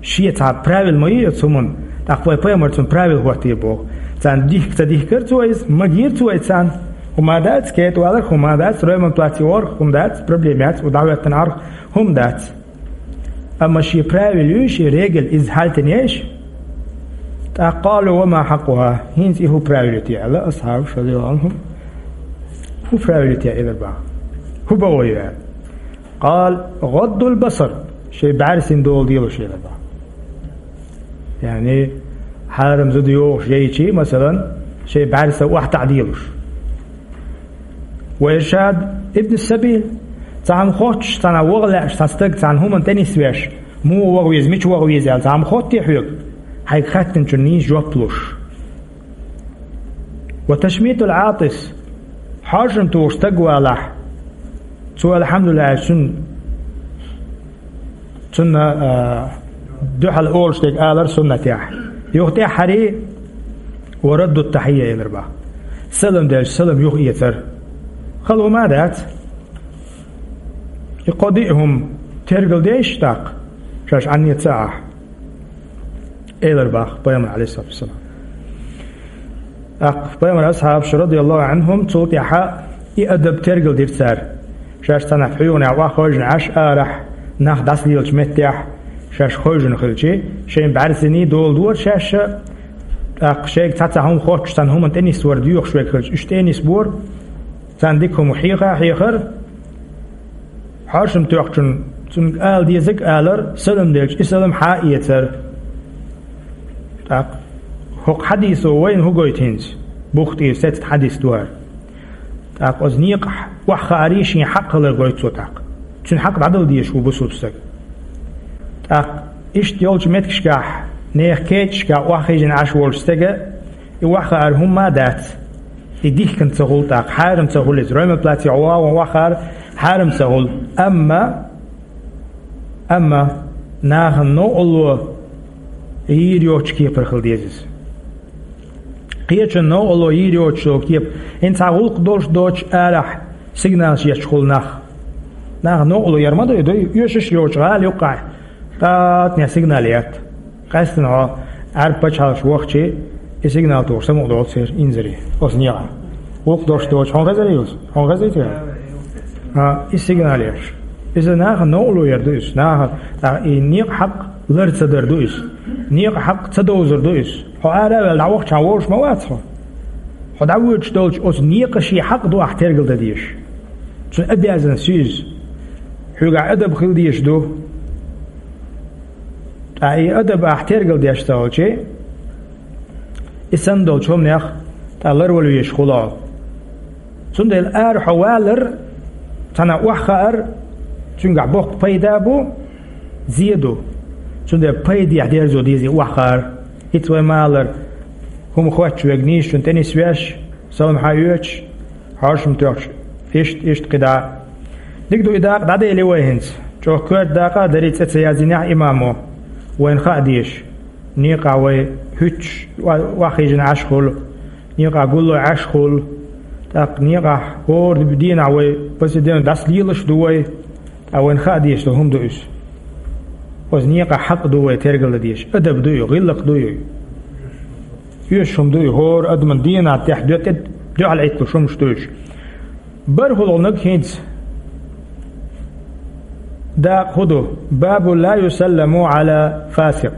Шен цхьа правил ма ю оцу хӀуманна, тӀаккха вай пайхамар цунна правил хӀоттийра боху. Царна дихка ца дихкира цо иза, магийра цо иза царна. ХӀума дац, кхетавалар хӀума дац, ройман плац йогӀарх хӀума дац, проблема яц, у дӀахӀоьттина Ӏарх хӀума дац. Амма шен правил ю, шен регель иза хьалтанеш, тӀаккха къалу: «Ва ма хьакъуха?» ХӀинца и хӀун правил ю те аьлла, асхьабаш, радияллаху Ӏанхум, хӀун правил ю те аьлла, элар бах. ХӀун бакъо ю аьлла. Къала: «ГӀаддул басар», шоай бӀаьрсина дола делуш, элар бах. Яъни, хьарам зуда йогӀуш яйчи, масалан, шоай бӀаьрса охьатаӀа делуш. «Ва иршад ибн сабил», цхьа хӀума хоттуш, цхьана ваха лаьаш, цхьа стаг цхьана хӀуманна тӀе нисвеш, муха ваха веза, мича ваха веза аьлла, цхьа хӀума хоттий хьоьга, хьайга хаьттинчунна нийса жоп луш. «Ва ташмитул Ӏатис», хьоашам тухуш стаг валахь, цо, алхьамдулиллахӀ, цунна, цунна, а, дуьхьал олуш дерг алар суннатехь. Юха тӀаьххьарий: «Ва раддут тахьийя», элар бах. Салам делча, салам юха эцар. Хала хӀума дац. И кхо-диъ хӀума тергал деш тӀаккха, шаьш Ӏанне ца Ӏахь. Элар бах пайхамар, Ӏалайхиссалату вассалам. ТӀаккха пайхамар асхьабаш, радияллаху Ӏанхум, цул тӀаьхьа и адаб тергал дира цара. Шаьш цхьанхьа хьоьгӀанехь охьахевшина Ӏаш арахь, нах дӀасалелачу меттехь, шаьш хевшина хилчи, шайн бӀаьрсиний дола дора шаьш, тӀаккха шайга цхьа-цхьа хӀума хоттуш, цхьана хӀуманна тӀе нисвар доьхуш верг хилча, уьш тӀе а нисбора, царна дика хӀума хьеха а хьехар, хьоашам тоьхначунна цунга ала дезарг а алар, салам делча, и салам хьа а эцар. ТӀаккха хӀокху хьадисо вайна хӀун гойту хӀинца? Бухтий сецна хьадис ду хӀара. ТӀаккха оцу некъахь охьахаарий шен хьакъ хилар гойту цо тӀаккха. Цуьнан хьакъ дӀадала дезаш ву бусулба стаг. ТӀаккха иштта йолчу меттигашкахь, нехан кечашкахь охьахевшина Ӏаш волчу стага и охьахаар хӀумма а дац. И дихкина ца хуьлу тӀаккха, хьарам ца хуьлу иза. Ройман плацехь вагӀан охьахаар хьарам ца хуьлу. Амма, амма нахана новкъарло йийр йоцучу кепара хила деза иза. Кхечунна новкъарло йийр йоцуш йолу кепа, хӀинца цхьа гӀуллакх долуш доцуш арахь сигналаш етташ хуьлу нах. Нахана новкъарло яр ма ду, и ду, оьшуш а йоцуш гӀала юккъехь, тӀатнех сигнал етта. Къаьсттина хьо Ӏаьрбийн пачхьалкхаш вахчи, и сигнал тухуш самукъадолу церан инзаре оцу некъахь. ГӀуллакх долуш доцуш, хьуна хезарий иза? Хьуна хезий те? А, и сигнал еш. Иза нахана новкъарло яр ду иза. Нахана, а, и некъан хьакъ лар ца дар ду иза. Некъан хьакъ ца довзар ду иза. Хьо ара а ваьлла, дӀавахча, хьан волуш ма вац хьо. Хьо дӀавоьдуш долчу оцу некъан шен хьакъ ду ахь тергалдан дезаш. Цуьнан обязанность ю иза. Хьоьгахь адаб хила дезаш ду. Ткъа и адаб ахь тергалдеш ца хилчи, и санна долчу хӀуманех тӀе ларвала везаш хуьлу хьо. Цундела ара хьо валар, цхьана охьахаар, цуьнгахь боккха пайда а бу, зе а ду. Цундела пайдехь дерзо деза и охьахаар. ХӀинца вай ма-аллара, хӀума хоттуш верг нийсачунна тӀе нисвеш, салам хьаоьцуш, хьоашам тоьхча, иштта, иштта кхидӀа. Дика ду, и дакъа дӀадели вай хӀинца. ЧӀогӀа коьрта дакъа а дарий, цӀе ца яздинехь имамо. Вайна хаа дезаш. Некъахь вай хӀуьттуш, охьахевшина Ӏаш хуьлу. Некъахь гулло Ӏаш хуьлу. ТӀаккха некъахь хӀора дийнахь вай, пасиденна дӀасалелаш а ду вай. Ткъа вайна хаа дезаш долу хӀума ду иза. Оцу некъан хьакъ ду вай тергалдан дезаш. Адаб ду и, гӀиллакх ду и. Оьшуш хӀума ду и, хӀора адаман дийнахь тӀехь дуьхьал Ӏитталуш хӀумаш ду уьш. БархӀалгӀаниг хӀинца дакъа хӀун ду? Бабу ла юсалламу Ӏала фасикъ.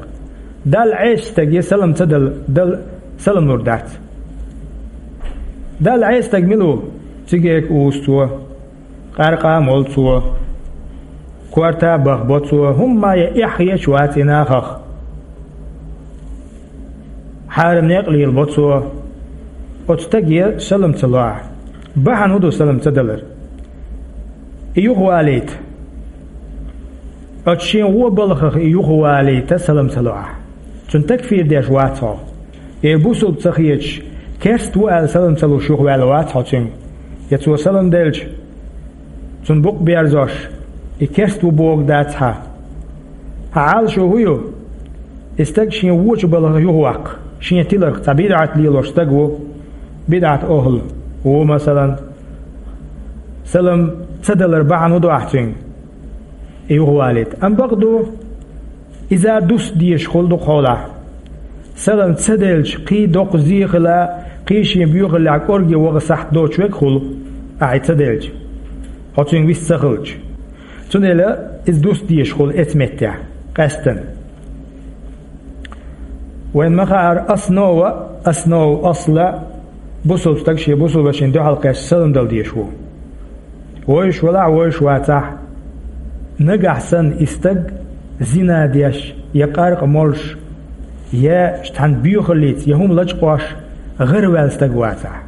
Далла Ӏеса стаге салам ца дала, дала салам лур дац. Далла Ӏеса стаг мила ву? Цигарка узу цо, къаьркъа а молу цо, корта а бахбо цо, хӀумма а ян эхь хеташ вац и нахах. Хьарам некъ лелабо цо. Оцу стаге салам ца ло ахь. Бахьана хӀун ду салам ца далар? И юхавалийта. Оцу шен вон балхах и юхавалийта салам ца ло ахь. Цунна такфир деш вац хьо. Я бусулба ца хеташ, керста ву аьлла салам ца луш юхаваьлла вац хьо цуьнга. Я цо салам делча, цунна букъ берзош, и керста ву бохург дац хьан. Хьан Ӏалашо хӀун ю? И стаг шен вочу балха юхаваккха, шен тиларх цхьа бидӀат лелош стаг ву, бидӀат охӀла ву, масалан, салам ца далар бахьана хӀун ду ахь цуьнга? И юхавалийта. Амма бакъду, иза дус дезаш хуьлу дукхахьолахь. Салам ца делча, кхин доккха зе хила, Кхин шен боьхаллехь кӀорге ваха сахьт доцуш верг хуьлу, ахьа и ца делча, хьо цуьнга вист ца хилча. Цундела иза дуста дезаш хуьлу эцу меттехь, къаьстина. Вайн ма хаара, основа, основа, асла, бусулба стаг шен бусулба вешина дуьхьал кхаьчча салам дала дезаш ву. Вевзаш велахь а, вевзаш вацахь а, нагахь санна и стаг зина деш, я къаркъа молуш, я цхьана боьхаллица, я хӀума лачкъош гӀараваьлла стаг вацахь.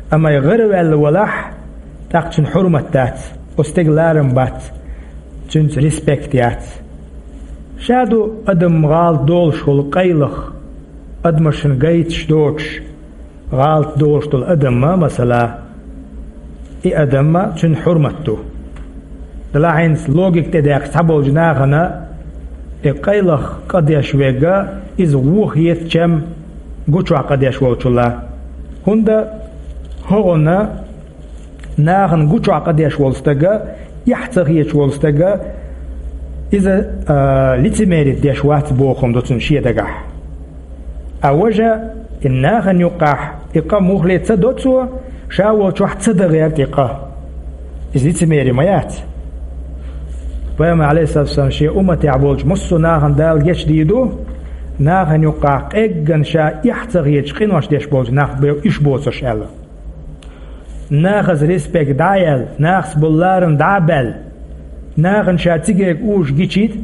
Амма и гӀараваьлла валахь, тӀаккха цуьнан хьурмат дац, оцу стеган ларам бац, цуьнца респект яц. Ша ду адам гӀалат долуш хуьлу къайлаха, адамашна гайташ доцуш, гӀалат долуш долу адамма, масала, и адамма цуьнан хьурмат ду. Делахь хӀинца логика тӀедаьккхича цхьаболчу нахана, и къайлаха къа деш верг, иза вон хета чам гучохь къа деш волчул. ХӀунда хӀокхунна нахана гучохь къа деш волу стаг, эхь ца хеташ волу стаг, иза, а, лицемерие деш вац бохург ду цуьнан шен дагахь. А важа, и нахана юккъехь и къа муххале ца до цо, ша волчохь ца дан гӀерта и къа. Иза лицемерие ма яц. Пайхамар, Ӏалайхиссалату вассалам, шен умматехь болчу массо а нахана Дала гечдийр ду, нахана юккъехь къеггина ша эхь ца хеташ къинош деш болчу нах бен уьш боцурш аьлла. Нахаца респект дӀа а яьлла, нахаца болу ларам дӀа а баьлла, нахана ша цига уьш гичийта,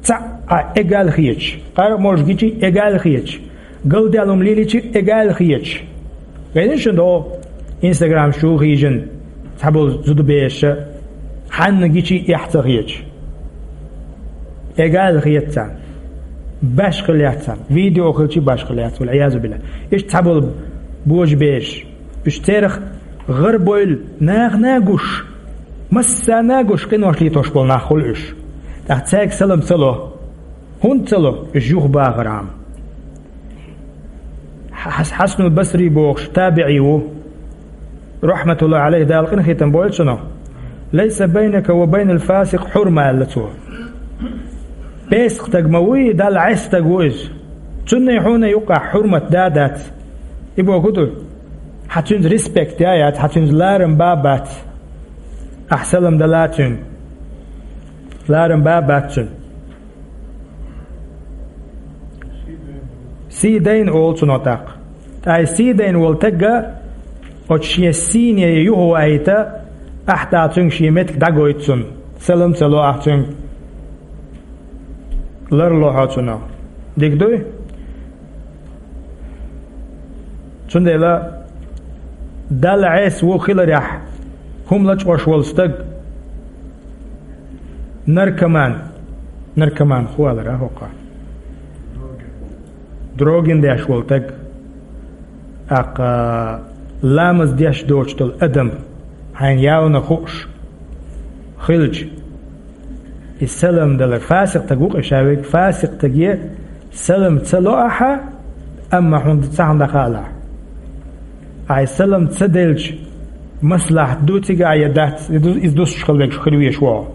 цхьаъ а эгал хеташ, къаркъа молуш гичий эгал хеташ, галдаьлла хӀума лелийчи эгал хеташ. Везаш шуна догӀу, Instagram чу хьийжина цхьаболу зудабераш а, хьанна гичий эхь ца хеташ. Эгал хета царна. Башхалла яц царна. Видео хилчи башхалла яц, вал-Ӏиязу биллахӀ. Иштта цхьаболу божабераш. Уьш церах гӀарабевлла, нахана гуш, массарна гуш къинош летош болу нах хуьлу уьш. ТӀаккха цаьрга салам ца ло. ХӀунда ца ло? Уьш юхабахархьама. Хьас-, Хьасанул Басри бохуш табиӀий ву. РахьматуллахӀи Ӏалайхи, Дала къинхетам бойла цунах. «Лайса байнака ва байнал фасикъ хьурма», аьлла цо. Песакъ стаг ма вуй, Далла Ӏеса стаг ву иза. Цунна хьуна юккъехь хьурмат да а дац. И бохург ду, хьан цуьнца респект я а яц, хьан цуьнца ларам бан а бац. Ахь салам дала цуьнга, ларам бан а бац цуьнан. Сий дайна олу цунах тӀаккха. Ткъа и сий дайна волу стаг оцу шен сийне юхавахийта, ахьа тӀаккха цуьнга шен меттиг дӀагойту цунна. Салам ца ло ахь цуьнга. Ларло хьо цунах. Дика дуй? Цундела Далла Ӏеса ву хиларехь, хӀума лачкъош волу стаг, наркоман, наркоман хӀу алара хӀокхо? Дрогин деш волу стаг, аккха ламаз деш доцуш долу адам, хьайна явна хууш хилча, и салам далар, фасикъ стаг ву-кх и ша верг, фасикъ стаге салам ца ло ахьа, амма хьуна цхьа хӀума дӀахаалахь. Ахьа и салам ца делча, маслахьат ду цигахь я дац, иза ду-, иза дустуш хила вегаш хир веш ву хьо.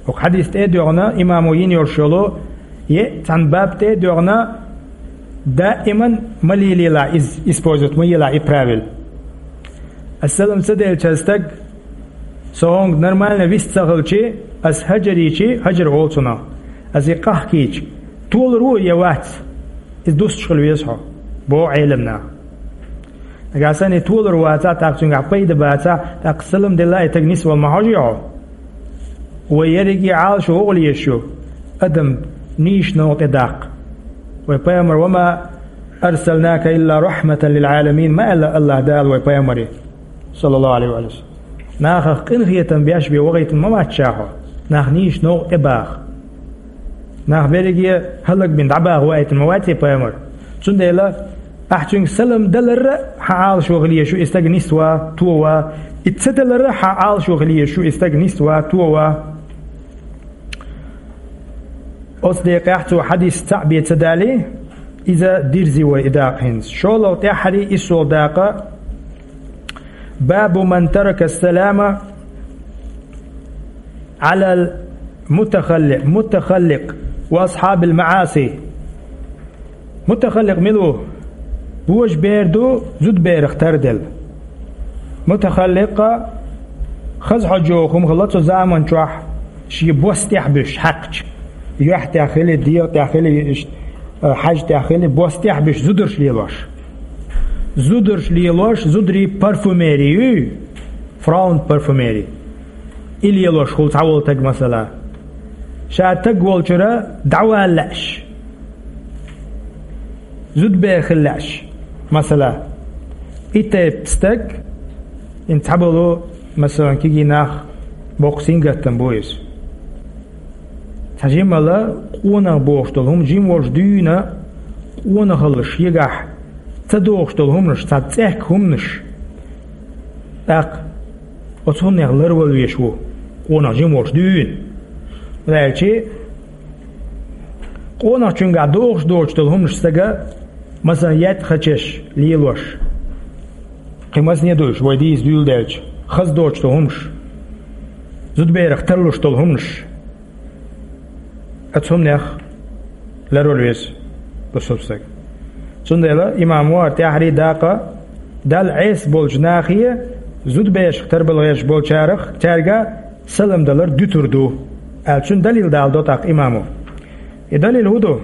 ХӀокху хьадис тӀе а доьгӀна, имамо йина йолуш йолу, е цхьана баб тӀе а доьгӀна, даиман ма лелаелахь иза, использовать ма елахь и правил. Ас салам ца делча стаг, со хьуна нормально вист ца хилчи, ас хӀажар йичи, хӀажар олу цунах, ас и къахкийча, толур ву я вац? Иза дустуш хила веза хьо, боху Ӏеламнаха. Нагахь санна и толур вацахь, тӀаккха цуьнгахь пайда бацахь, тӀаккха салам делла и стаг нисвала ма хьожий хьо? Вай ерриге Ӏалашо вогӀу лезаш ю, адам нийса новкъа тӀедаккха. Вай пайхамар: «Ва ма арсалнака илла рахьматан лил Ӏаламин», ма аьлла АллахӀ Дала вай пайхамаре, саллаллаху Ӏалайхи ва саллам. Нахах къинхетам беш бен вахийтина ма вац ша хьо, нах нийса новкъа тӀебаха. Нах берриге хӀаллакбина дӀабаха ваийтина ма вац и пайхамар. Цундела ахь цуьнга салам даларра хьан Ӏалашо хила езаш ю и стаг нисван, тован, и ца даларра хьан Ӏалашо хила езаш ю и стаг нисван, тован. Оцу декъехь цо хьадис цхьаъ бен ца далий, иза дирзи вай и дакъа хӀинца. ШолгӀа тӀаьххьарий, иссолгӀа дакъа. «Бабу ман тарака салама Ӏалал мутахалли-, мутахалликъ ва асхьабил маӀаси». Мутахалликъ мила ву? Божабер ду зудаберах тарделла. Мутахалликъ хаза хьожа йоху хӀума хилла цу заман чохь, шен бос тӀехь буьсуш хьаькхча, юьхь тӀехь хили, дегӀа тӀехь хили, иштта, э, хьаьжа тӀехь хили, бос тӀехь буьсуш зударш лелош. Зударш лелош, зударий парфюмери юй, фраунд парфюмери. И лелош хуьлу цхьаволу таг, масала, ша таг волчуьра дӀавала лаьаш. Зудабер хила лаьаш, масала, и тайпа стаг, хӀинца цхьаболу, масалан, кегий нах боккха сингаттам бу иза. Цхьа жимма къонах бохуш долу хӀума, жима волуш дуьйна къонахалла шегахь ца догӀуш долу хӀуманаш, цхьа цӀехка хӀуманаш. ТӀаккха оцу хӀуманех ларвала веш ву, къонах жима волуш дуьйна. Ваьлчи, къонахчуьнгахь догӀуш доцуш долу хӀуманаш стага, масалан, еттӀа хачеш лелош. Кхин масане ду уьш, вай дийца дуьйладелча, хаза доцуш долу хӀуманаш, зудаберах тарлуш долу хӀуманаш. Оцу хӀуманех ларвала веза бусалба стаг. Цундела имам вара тӀаьхьарий дакъа Далла Ӏеса болчу нахе, зудаберашах тарбала гӀерташ болчарах, цаьрга салам далар дуьтур ду, аьлла, цуьнан далил даладо тӀаккха имамо. И далил хӀун ду?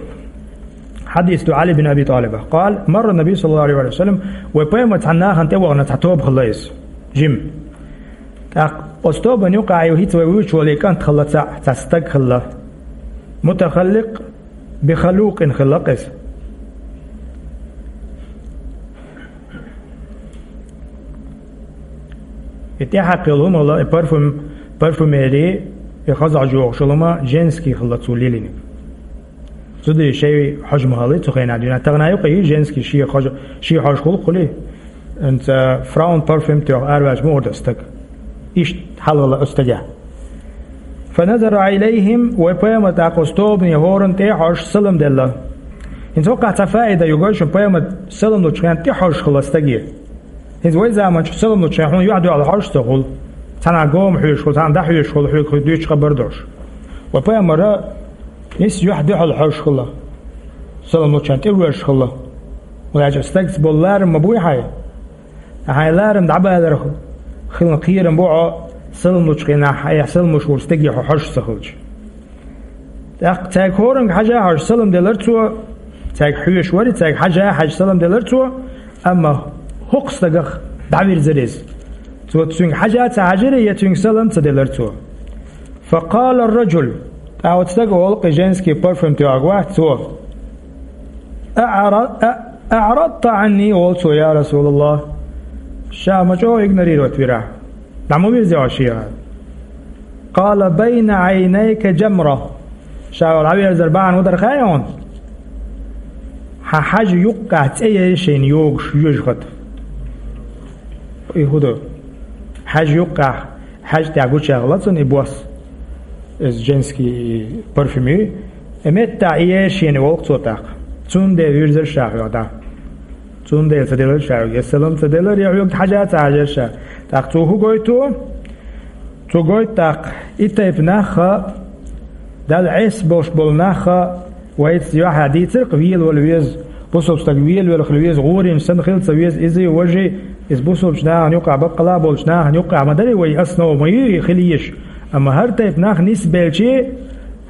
Хьадис ду Ӏали бин Аби ТӀалибах. Къала: марра Наби саллаллаху Ӏалайхи ва саллам, вай пайхамар цхьана нахана тӀе вахана цхьа тоба хилла иза, жима. ТӀаккха оцу тобанна юкъахь ю хӀинца вай вуьйцуш волу кӀант хилла цхьаъ, цхьа стаг хилла. Мутахалликъ бихалукъин хилла иза. И тӀаьхьакхилла хӀума хилла, и парфюм-, парфюмери, и хаза хьожа йохуш йолу хӀума женский хилла цо лелийнарг. Зударий шайн хьожа ма хилла цу хенахь дуьйна. Тахана юкъа и женский шен хьожа, шен хьожа хуьлу хуьлий? ХӀинца фраунд парфюм тоьхна араваьлча муха ду стаг? Иштта хьал хилла оцу стагехь. Фаназара илайхим, вай пайхамар тӀаккха оцу тобане хӀоранна тӀе а хьожуш салам делла. ХӀинца хӀокхахь цхьа фаида ю, гой шуна, пайхамар салам лучу хенахь тӀе хьожуш хилла стаге. ХӀинца вай заманчохь салам лучу хенахь хьуна юьхь-дуьхьал хьожуш ца хуьлу. Цхьана гома хьоьжуш хуьлу, цхьана дӀахьоьжуш хуьлу, хьоьга дуьйцуш хабар долуш. Вай пайхамара нисса юьхь-дуьхьал хьожуш хилла. Салам лучу хенахь тӀе воьжуш хилла. ХӀунда аьлча стагца болу ларам ма буй хьайн. Хьайн ларам дӀабалар хилла кхерам бу хьо, салам лучу хенахь, хьан салам луш волчу стаге хьо хьожуш ца хилча. ТӀаккха цаьрга хӀоранга хьажа а хьожуш салам делара цо, цаьрга хьоьжуш вара, цаьрга хьажа а хьаьжча салам делара цо, амма хӀокху стагах дӀавирзира иза. Цо цуьнга хьажа а ца хьаьжира, я цуьнга салам а ца делара цо. Факъала ар-раджул, тӀаккха оцу стага олу, кхин женский парфюм тоьхнарг вац цо. «АӀра-, а-, аӀрадта Ӏанни», олу цо, я Расулаллах. Ша ма чӀогӀа игнорировать вира ахь. ДӀа ма вирзи хьо шега. Къала: «Байна Ӏайнайка джамра». Ша вала дӀаверзар бахьана хӀун дара хаьий хьуна? Хьан хьаьжа юккъехь цӀе яра шайна йогуш, йоьжахати. И хӀун ду? Хьаьжа юккъехь, хьаьжа тӀехь гучехь хилла цунна и бос, иза женский парфюм ю, и меттахь и яра шена, олу цо тӀаккха. Цундела вирзира ша хьоьга дӀа. Цундела ца делира ша хьоьга, я салам ца делира, я хьоьга хьажа а ца хьаьжира ша. ТӀаккха цо хӀун гойту? Цо гойту тӀаккха, и тайпа нах а, Далла Ӏеса болуш болу нах а, вайца юьхьа дийцира-кх, велавала веза, бусалба стаг велавелла хила веза, гӀорийна санна хила ца веза, иза а, важа а, иза бусалбачу нахана юкъахь, баккъала а болчу нахана юкъахь ма дарий вай, основа ма ю и хила езаш. Амма хӀара тайпа нах нисбелчи,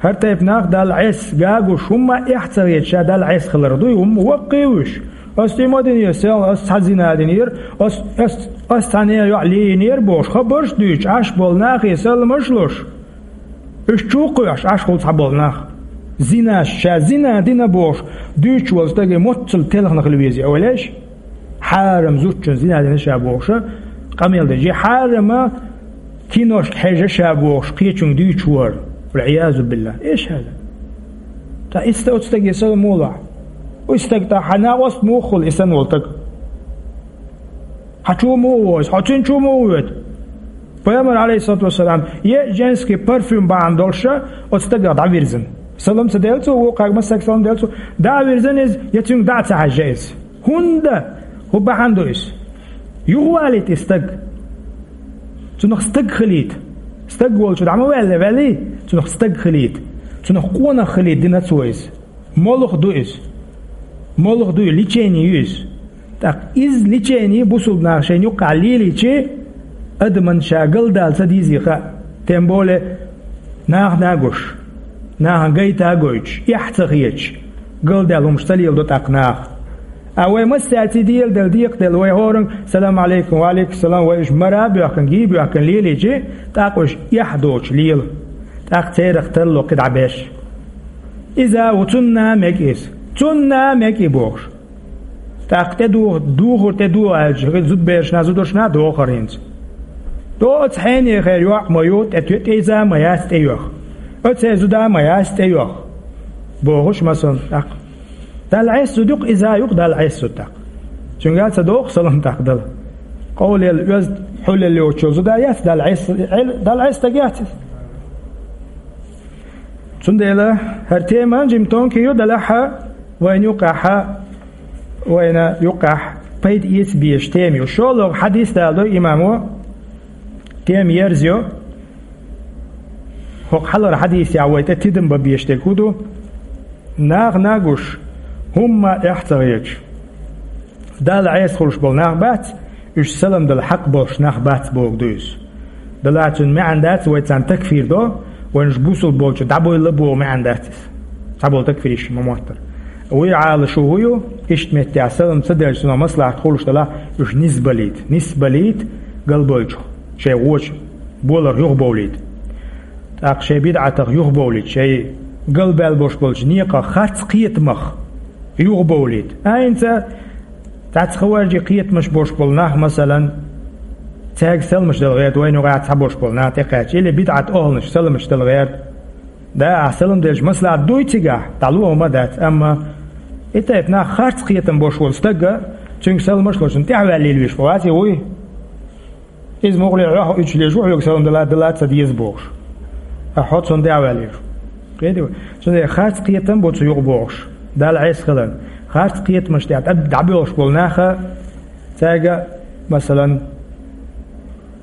хӀара тайпа нах Далла Ӏеса гуш, хӀумма а эхь ца хеташ, ша Далла Ӏеса хилар дуй, хӀумма ваккхий уьш. Ас тӀе ма динера, сел, ас цхьа зина динера, ас, ас, ас цхьа нехан йоӀ лиййинера бохуш, хабарш а дуьйцуш, Ӏаш болу нахе саламаш а луш, уьш чу а кхоьхьуш, Ӏаш хуьлу цхьаболу нах. Зинаш, ша зина дина бохуш, дуьйцуш волу стаге моццул телхина хила веза, ойла еш? Хьарам зудчун зина дина ша бохуша, къамел деш, хьарама киношка хьежа ша бохуш, кхечуьнга дуьйцуш вара. Вал-Ӏиязу биллахӀ. Эш хьажа. Ткъа иштта оцу стаге салам муха ло ахь? И стаг тӀаккха хьан накъост муха хуьлу, и санна волу стаг? Хьан чу муха воьду? Хьо цуьнан чу муха воьду? Пайхамар, Ӏалайхиссалату вассалам, е женский парфюм бахьана долуша оцу стагах дӀавирзина. Салам ца делла цо, вукхаьрга массаьрга салам делла цо, дӀа а вирзина иза, я цуьнга дӀа а ца хьаьжжа иза. ХӀунда? ХӀун бахьана ду иза? Юхавалийта и стаг. Цунах стаг хилийта. Стаг волчу дӀа ма ваьлла, ваьллий? Цунах стаг хилийта. Цунах къонах хилийта дина цо иза. Молха ду иза. Молха ду и, лечение ю иза. ТӀаккха иза лечени бусулба наха шайна юккъехь лелийча, адамна ша галдала ца дезий хаьа, тем более нахана а гуш, нахана гайта а гойтуш, эхь а ца хеташ, галдаьлла хӀумаш ца леладо тӀаккха наха. А вай массаьрца дела делла, декъаделла, вай хӀоранга «Салам Ӏалайкум», «Ва Ӏалайкум салам», вай уьш мара а боьхкина, гий а боьхкина лелийча, тӀаккха уьш эхь а доцуш лела. ТӀаккха церах тарло кхин дӀа беш. Иза а ву, цунна а мега иза, цунна а мега и бохуш. ТӀаккха тӀе духу, духур тӀе духу аьлча, хӀинца зудаберашна, зударшна а дохура хӀинца. ТӀо оцу хьенехера йоӀ ма ю, тӀе, тӀе иза а ма яц тӀейоьху. Оцу зуда а ма яц тӀейоьху. Бохуш масална тӀаккха. Далла Ӏеса зуда ю-кх, иза а ю-кх Далла Ӏеса зуда тӀаккха. Цуьнга а ца доху салам тӀаккха дала. Къовлаелла оьзда, хьулъелла йоцучу зуда яц Далла Ӏеса, Далла Ӏеса стаг яц иза. Цундела хӀара тема жимма тонкий ю, делахь а, вайна юккъехь, вайна юккъехь пайда эца безаш тема ю. ШолгӀа хьадис даладо имамо, тема ерзайо. ХӀокху хьалхара хьадисехь вай тӀе тидам бан безаш дерг хӀун ду? Нахана а гуш, хӀумма а эхь а ца хеташ, Далла Ӏеса хуьлуш болу нах бац, уьш салам дала хьакъ болуш нах бац бохург ду иза. Делахь цуьнан маьӀна дац, вай царна такфир до, вайна уьш бусулба болчу дӀабойла боху маьӀна дац иза. Цхьаболу такфиристаш ма-моттара. Вуй Ӏалашо хӀун ю, иштта меттехь салам ца делча, цунах маслахьат хуьлуш делахь, уьш нисбалийта, нисбалийта галбевллачух, шайн вочу боларх юхабовлийта. ТӀаккха шайн бидӀатах юхабовлийта, шайн галбаьлла болуш болчу некъах, харц кхетамах юхабовлийта. ХӀинца цхьацца хаваржийн кхетамаш болуш болу нах, масалан, цаьрга саламаш дала гӀерта, вайна юкъахь цхьаболуш болу нах тӀекхаьчча, или бидӀат охьанаш саламаш дала гӀерта. Да, ахь салам делча маслахьат дуй цигахь, дӀало хӀума дац, амма и тайпа нах, харц кхетам болуш волу стаг, цуьнга саламаш а луш, цунна тӀаьхьаваьлла лелавеш бу, вац и вуй? Иза муххале хьох уьдуш лелаш ву, хьоьга салам дала, дала ца деза бохуш. Ткъа хьо цунна тӀаьхьаваьлла лелаш ву. Кхетий вай? Цундела харц кхетам бу цу юкъа бохуш, Далла Ӏеса хиларна. Харц кхетамаш тӀехь дӀа-, дӀабоьлхуш болу наха, цаьрга, масалан,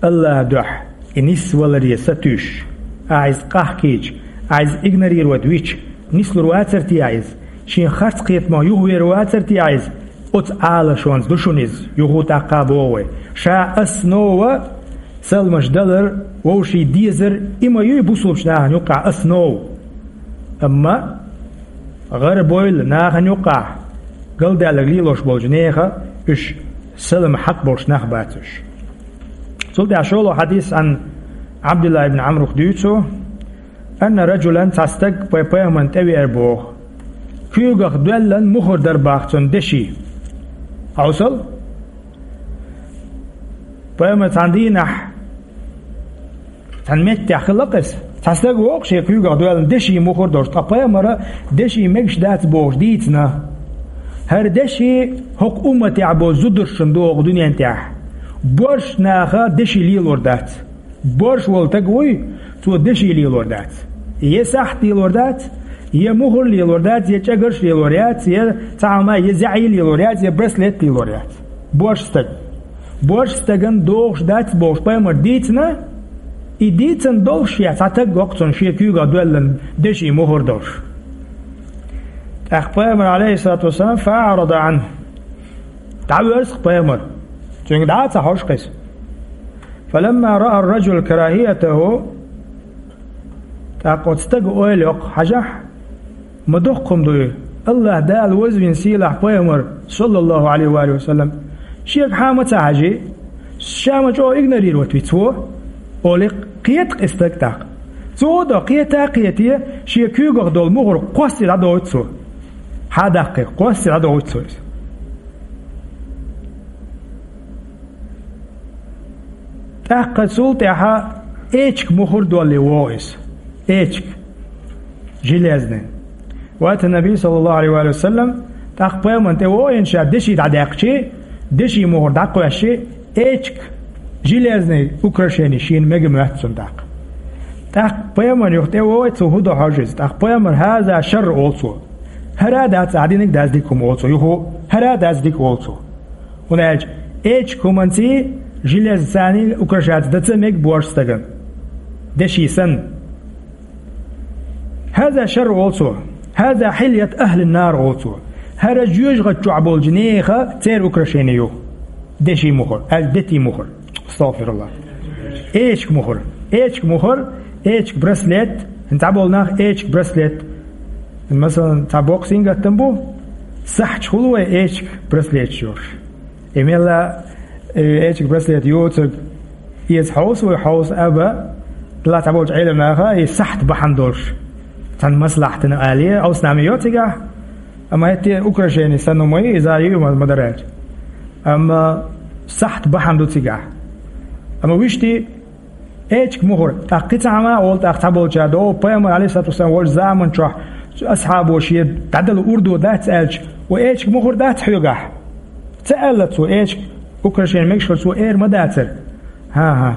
АллахӀан дуьхьа и нисваларе сатуьйсуш, ахьа иза къахкийча, ахьа иза игнорировать вича, нислур вацара те ахьа иза? Шен харц кхетамах юхавер вацара те ахьа иза? Оцу Ӏалашонца ду шуна иза, юха а тӀаккха а боху вай. Ша основа саламаш далар, вовшийн дезар, и ма юй бусулбачу нахана юккъахь основа. Амма гӀарабойла нахана юккъахь галдаьлларг лелош болчу нехан уьш салам хьакъ болуш нах бац уьш. Цул тӀаьхьа шолгӀа хьадис, Ӏан Ӏабдулла ибн Ӏамрах дуьйцу, анна раджулан, цхьа стаг пай-, пайхамарна тӀевеара боху. Куьйгах доьллан мухӀар дара боху цуьнан деши. Хьовсал? Пайхамар цхьана дийнахь, цхьана меттехь хилла-кх иза. Цхьа стаг воккху шен куьйгах доьллан деши мухӀар долуш, ткъа пайхамара деши мегаш дац бохуш дийцина. ХӀара деши хӀокху умматехь болу зударшна догӀу дуьнен тӀехь. Боьрша наха деши лелор дац. Боьрша волу стаг вуй, цо деши лелор дац. Я сахьт лелор дац, я мухӀар лелор дац, я чӀагарш лелор яц, я цхьа хӀума, я заьӀий лелор яц, я браслет лелор яц. Боьрша стаг. Боьрша стагана догӀуш дац бохуш пайхамар дийцина, и дийцина долуш я цхьа стаг воккху цунна шен куьйгах доьллан деши мухӀар долуш. ТӀаккха пайхамар, алейхиссалату вассалам, фаъарада Ӏанху. ДӀавоьрзу-кх пайхамар. Цуьнга дӀа а ца хьожу-кх иза. Фаламма раа ар-раджул карахиятаху, тӀаккха оцу стага ойла йоккху, хьажахь, ма доккха хӀума ду и, АллахӀ Дала вазвина сийлахь пайхамар, саллаллаху Ӏалайхи ва алихи ва саллам, шега хьан ма ца хьажий, ша ма чӀогӀа игнорировать виц во, олий, кхета-кх и стаг тӀаккха. Цо а до, кхета а кхете, шен куьйгах долу мухӀар кхоссе дӀадохуьйту цо. Хьан даккхий, кхоссе дӀадохуьйту цо иза. ТӀаккха цул тӀаьхьа эчка мухӀар доллий вогӀу иза. Эчка. Железный. Вата Наби, саллаллаху алейхи ва саллям, тӀаккха пайхамарна тӀе вогӀийна ша деши дӀадаьккхичи, деши мухӀар дӀакхоьссичи, эчка, железный украшение шена мега моьтту цунна тӀаккха. ТӀаккха пайхамарна юха тӀе вогӀий, цо хӀун до хьожу иза. ТӀаккха пайхамар: «ХӀаза шарр», олу цо. ХӀара а дац, ахь динарг дац дика хӀума, олу цо. Юха хӀара а дац дика, олу цо. ХӀунда аьлча эчка хӀуманций, железцаний украшаться дан ца мега боьрша стагана. Деши санна. «ХӀаза шарр», олу цо. «ХӀаза хьильят ахьлин нар», олу цо. ХӀара жоьжахати чохь болчу нехан церан украшение ю. Деши мухӀар, аьлла дети мухӀар. Астагфирулла. Эчиг мухӀар. Эчиг мухӀар, эчиг браслет. ХӀинца болу нах эчиг браслет. Масалан, цхьа боккха сингаттам бу, сахьташ хуьлу вай эчиг браслеташ йолуш. И мелла, э, эчиг браслет йоцург, иза хьовса вай хьовса аба, дала цхьаболчу Ӏелам наха, и сахьт бахьана долуш. Цхьана маслахьтана алий, хьовса нами йо цигахь, амма хӀетте украшение санна ма ю, иза ю ма, ма дараьлча. Амма сахьт бахьана ду цигахь. Амма вуьшти эчиг мухӀар, тӀаккха кхин цхьа хӀума а волу, тӀаккха цхьаболчара догӀу, пайхамар, алейхиссалату вассалам, волчу заман чохь асхьабо шен дӀадала урдо дац аьлча, ва эчиг мухӀар дац хьоьгахь? Ца аьлла цо, эчиг украшение мегаш хилар цо эр ма дацара. ХӀан-хӀа.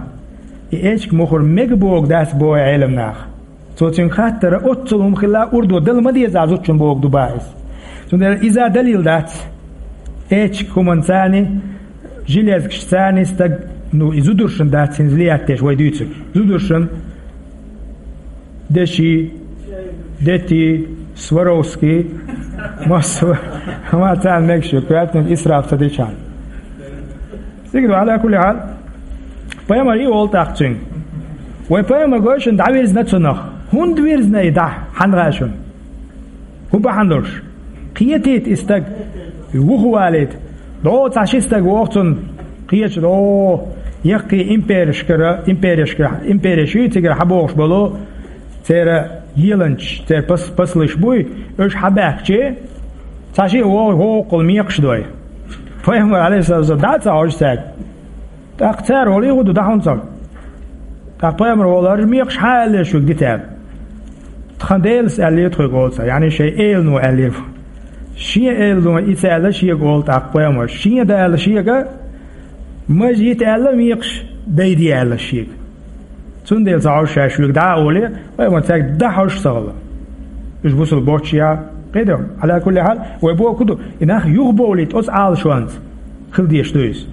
И эчиг мухӀар мега богу дац боху Ӏелам наха. Цо цуьнга хаттара, оццул хӀума хилла урдо дала ма деза зудчун богу ду бах иза. Цундела иза далил дац. Эчиг хӀуманца а, жилеткашца а стаг, ну, и зударшна дац хӀинца лият деш вай дуьйцург. Зударшна деши, дети, Сваровски, массо, ма царна мегаш ю, коьртаниг исраф ца дичахьана. Цига ду, Ӏала кулли хьал, пайхамар и олу тӀаккха цуьнга. Вай пайхамар гой шуна дӀавирзина цунах. ХӀунда вирзина и дӀа, хьан гӀа шуна? ХӀун бахьана долуш? Кхетийта и стаг, вухавалийта. ДогӀу цхьа ши стаг воху цунна, кхечу догӀу, яккхий имперешкара, имперешкара, импереш ю цигара хьабохуш болу, церан леланчаш, церан пас-, паслиш буй, уьш хьабаьхкичи, цхьа шиъ вогӀу, вогӀу кхул мекхаш дой. Пайхамар, алейхиссалату вассалам, дӀа а ца хьожу цаьрга. ТӀаккха цара олий хӀун ду, дӀа хьуна цара. ТӀаккха пайхамар олу, хӀара мекхаш хьан аьллера шуьга дитаьрна? Тхан Делас аьллера тхоьга олу цара, яъни шайн элано аьллера. Шен элано и ца аьлла шега олу тӀаккха пайхамар. Шен да аьлла шега, мажа йита аьлла мекхаш, дайде аьлла шега. Цундела ца хьожу ша шуьга дӀа а олий, вай ма цаьрга дӀа хьожуш ца хилла. Уьш бусул боцчу я, кхидо, Ӏала кулли хьал, вай боху ду, и нах юхабовлийта оцу Ӏалашонца хила дезаш ду иза.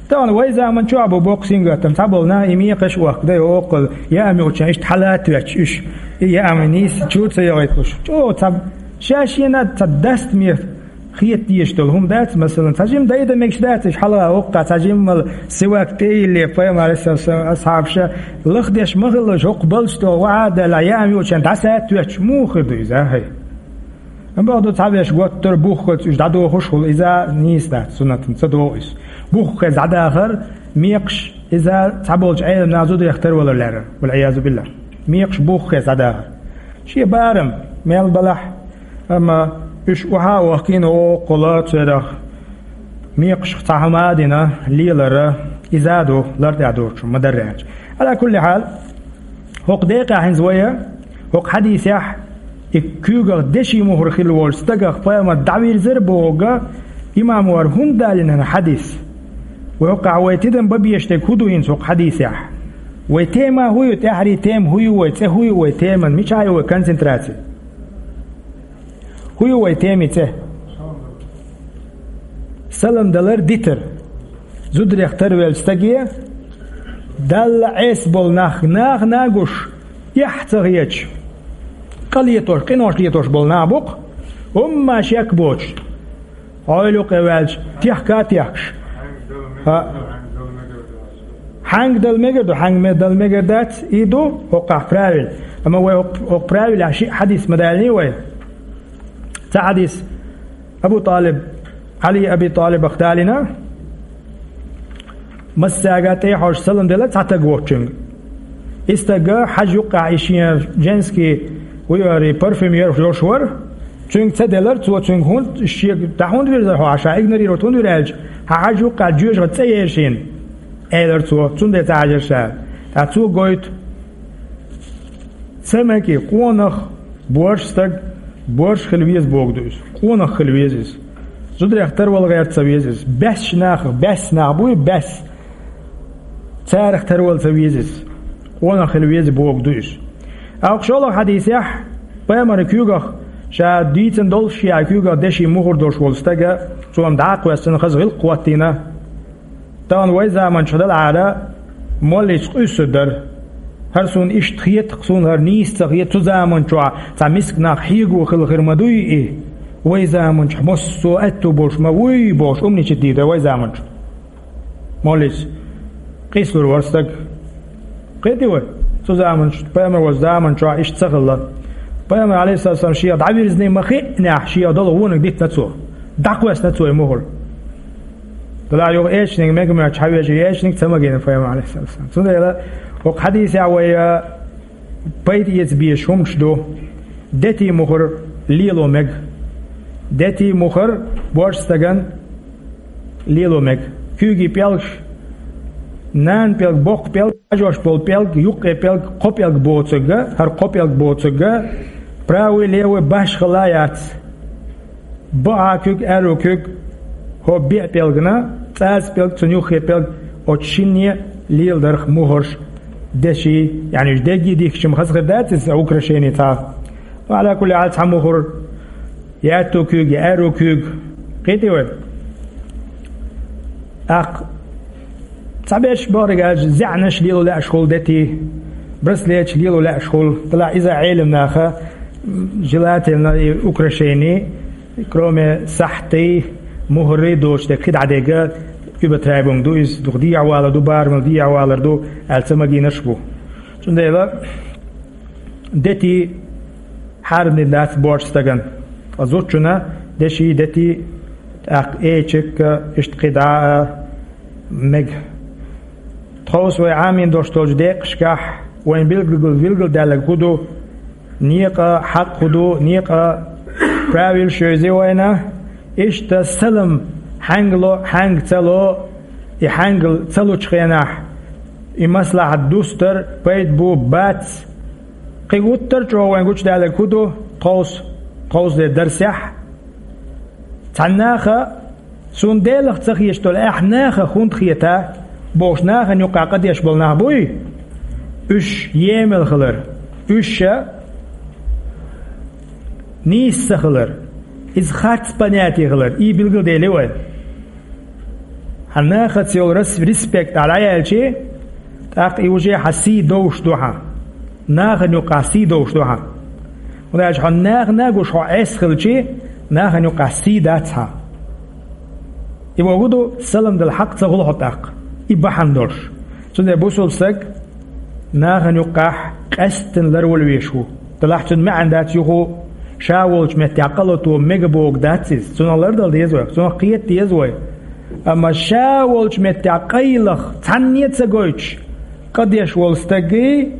Тахана вай заман чохь а бу боккха сингаттам, цхьаболу нах и мекхаш а охка дай, оккхул, яа муьлхачан иштта хьала а тоьттуш уьш, и яа ма нийса чу а ца йогӀуьйтуш. ЧӀогӀа цхьа, ша шена цхьа дастаме хета дезаш долу хӀума дац, масалан, цхьа жимма дайда мегаш дац, иштта хьалха воккха цхьа жимма сивак тӀе а йилле, пайхамар, алейхиссалам, асхьабаша лахдеш ма хилла, хӀокху балчу тӀе ваха а даьлла, яа муьлхачан дӀаса а тоьттуш, муха хир ду иза, хӀай? Амма бакъду, цхьа веш готтара буххалц уьш дӀадохуш хуьлу, иза нийса дац, суннатан ца догӀу иза. Буххалц дӀадахар, мекхаш, иза цхьаболчу Ӏелам наха зударех тарвалар лаьрра, вал-Ӏиязу биллахӀ. Мекхаш буххалц дӀадахар. Шен барам, мел балахь, амма уьш охьа а вахкийна, оккхула церах мекхашка цхьа хӀума а дина, лелара, иза а ду, лар тӀехь доцуш, ма дарра аьлча. Ӏала кулли хьал, хӀокху декъехь хӀинца вайа, хӀокху хьадисехь, и куьйгах деши мухӀар хилла волчу стагах пайхамар дӀавирзира бохург, имам вара хӀунда далийна хьадис? Вай хӀокхахь вай тидам бан безаш дерг хӀун ду хӀинца хӀокху хьадисехь? Вай тема хӀун ю, тӀаьххьарий тема хӀун ю вай, цӀе хӀун ю вай теман, мичахь ю вай концентраци? ХӀун ю вай темин цӀе? Салам далар дитар. Зударех тарвеллачу стаге, Далла Ӏеса болу нах, нах а гуш, эхь ца хеташ, къа летош, къинош летош болу нах бу-кх, хӀумма шек боцуш. Хьо юккъе ваьлча, техка а техкаш. ХӀа. Хьаьнга дала мегар ду, хьаьнга ме-, дала мегар дац, и ду хӀокхахь правил. Амма вай хӀокху, хӀокху правилехь шиъ хьадис ма далийний вай. Цхьа хьадис Абу ТӀалиб, Ӏали Аби ТӀалибах далийна, массаьрга тӀе а хьожуш салам делла цхьа стаг воцучуьнга. И стага хьажа юккъехь и шен женский, хӀун ю хӀара, парфюм йолуш вара. Цуьнга ца делара цо, цуьнга хӀунда, шега дӀа хӀунда вирзара хьо, ша игнорировать хӀунда вира аьлча, хьан хьажа юккъехь жоьжахати цӀе ера шена, элира цо, цундела ца хьажара ша. ТӀаккха цо гойту. Ца мега, къонах, борша стаг, борша хила веза бохург ду иза. Къонах хила веза иза. Зударех тарвала гӀерта ца веза иза. Баьсса нахах, баьсса нах буй, баьсса. Царах тарвала ца веза иза. Къонах хила веза бохург ду иза. Ткъа шолгӀа хьадисехь, пайхамаран куьйгах, ша дийцина долуш, шен куьйгах деши мухӀар долуш волу стага, цо-м дӀа а кхоьссина, хаза гӀиллакх хӀоттийна. Тахана вай заман чохь далахьара, моллица къуьйсур дара. ХӀара суна иштта хета, суна хӀара нийса ца хета, цу заман чохь цхьа миска нах хьего хила хир ма дуй и? Вай заманчохь массо а аьтту болуш ма вуй бохуш, умничать дийр дара вай заманчохь. Моллица къийсалур вара стаг. Кхетий вай? Цу заманчохь, пайхамар волчу заманчохь иштта ца хилла. Пайхамар, алейхиссалам, шех дӀавирзиний ма хиънехь, шех долу вониг дитина цо. ДӀакхоьссина цо и мухӀар. Делахь юха эчниг мега моьттуш хьан вежа, эчниг ца магийна пайхамар, алейхиссалам. Цундела хӀокху хьадисехь вай, а, пайда эца безаш хӀуманаш ду. Дети мухӀар лело мега. Дети мухӀар боьрша стагана лело мега. Куьйгийн пӀелгаш, нана пӀелг, боккха пӀелг, хьажош болу пӀелг, юккъе пӀелг, кхо пӀелг боцург а, хӀара кхо пӀелг боцург а, правый, левый башхалла яц. Бакъахьа куьг, аьрру куьг, хӀо беа пӀелгана, цӀаза пӀелг, цуьнан юххе пӀелг, оцу шинне леладарх мухӀарш деши, яъни уьш дегги дихкича-м хаза хир дац иза, украшение цхьа. Ва Ӏала кулли хьал, цхьа мухӀар, я аьтту куьг, я аьрру куьг. Кхетий вай? ТӀаккха цхьаберш бахарг аьлча, зӀенаш лело лаьаш хуьлу дети, браслеташ лело лаьаш хуьлу. Делахь иза Ӏелам наха, желательно и украшение, кроме сахьтий, мухӀарий доцуш дерг кхидӀа дерг, уьбатайбунг ду иза, дукха дехьавалар ду, барамал дехьавалар ду, аьлла ца магийнарш бу. Цундела дети хьарам дина дац боьрша стагана. Ткъа зудчунна деши, дети, тӀаккха эчиг а, иштта кхидӀа а мега. Тховса вай Ӏамийна долуш долчу декъашкахь вайн билггал-, билгалдаьлларг хӀун ду, некъа хьакъ хӀун ду, некъа правилаш йовзий вайна, иштта салам хьаьнга ло, хьаьнга ца ло, и хьаьнга ца лучу хенахь, и маслахьат дустар пайда бу, бац. Кхин гуттар а чӀогӀа вайн гучудаьлларг хӀун ду, тховса, тховсале дарсехь, цхьана наха, суна Делах ца хеташ долу, ахь нахах хӀунда хета, бохуш, нахана юккъехь къа деш болу нах буй? Уьш емал хилар, уьш а нийса ца хилар, иза харц понятие хилар, и билгалдели вай. Хьан нахаца йолу рас-, респект ахь дӀаяьлчи, тӀаккха и уже хьан сий довш ду хьан. Нахана юккъахь сий довш ду хьан. ХӀунда аьлча хьо нахана гуш хьо Ӏеса хилчи, нахана юккъахь сий дац хьан. И боху ду, салам дала хьакъ ца хуьлу хьо тӀаккха. И бахьана долуш. Цундела бусулба стаг нахана юккъахь къаьсттина ларвала веш ву. Делахь цуьнан маьӀна дац юха ша волчу меттехь къа лато мега бохург дац иза. Цунах лардала деза вай, цунах кхета деза вай. Амма ша волчу меттехь къайлаха цхьанне а ца гойтуш, къа деш волу стаггий,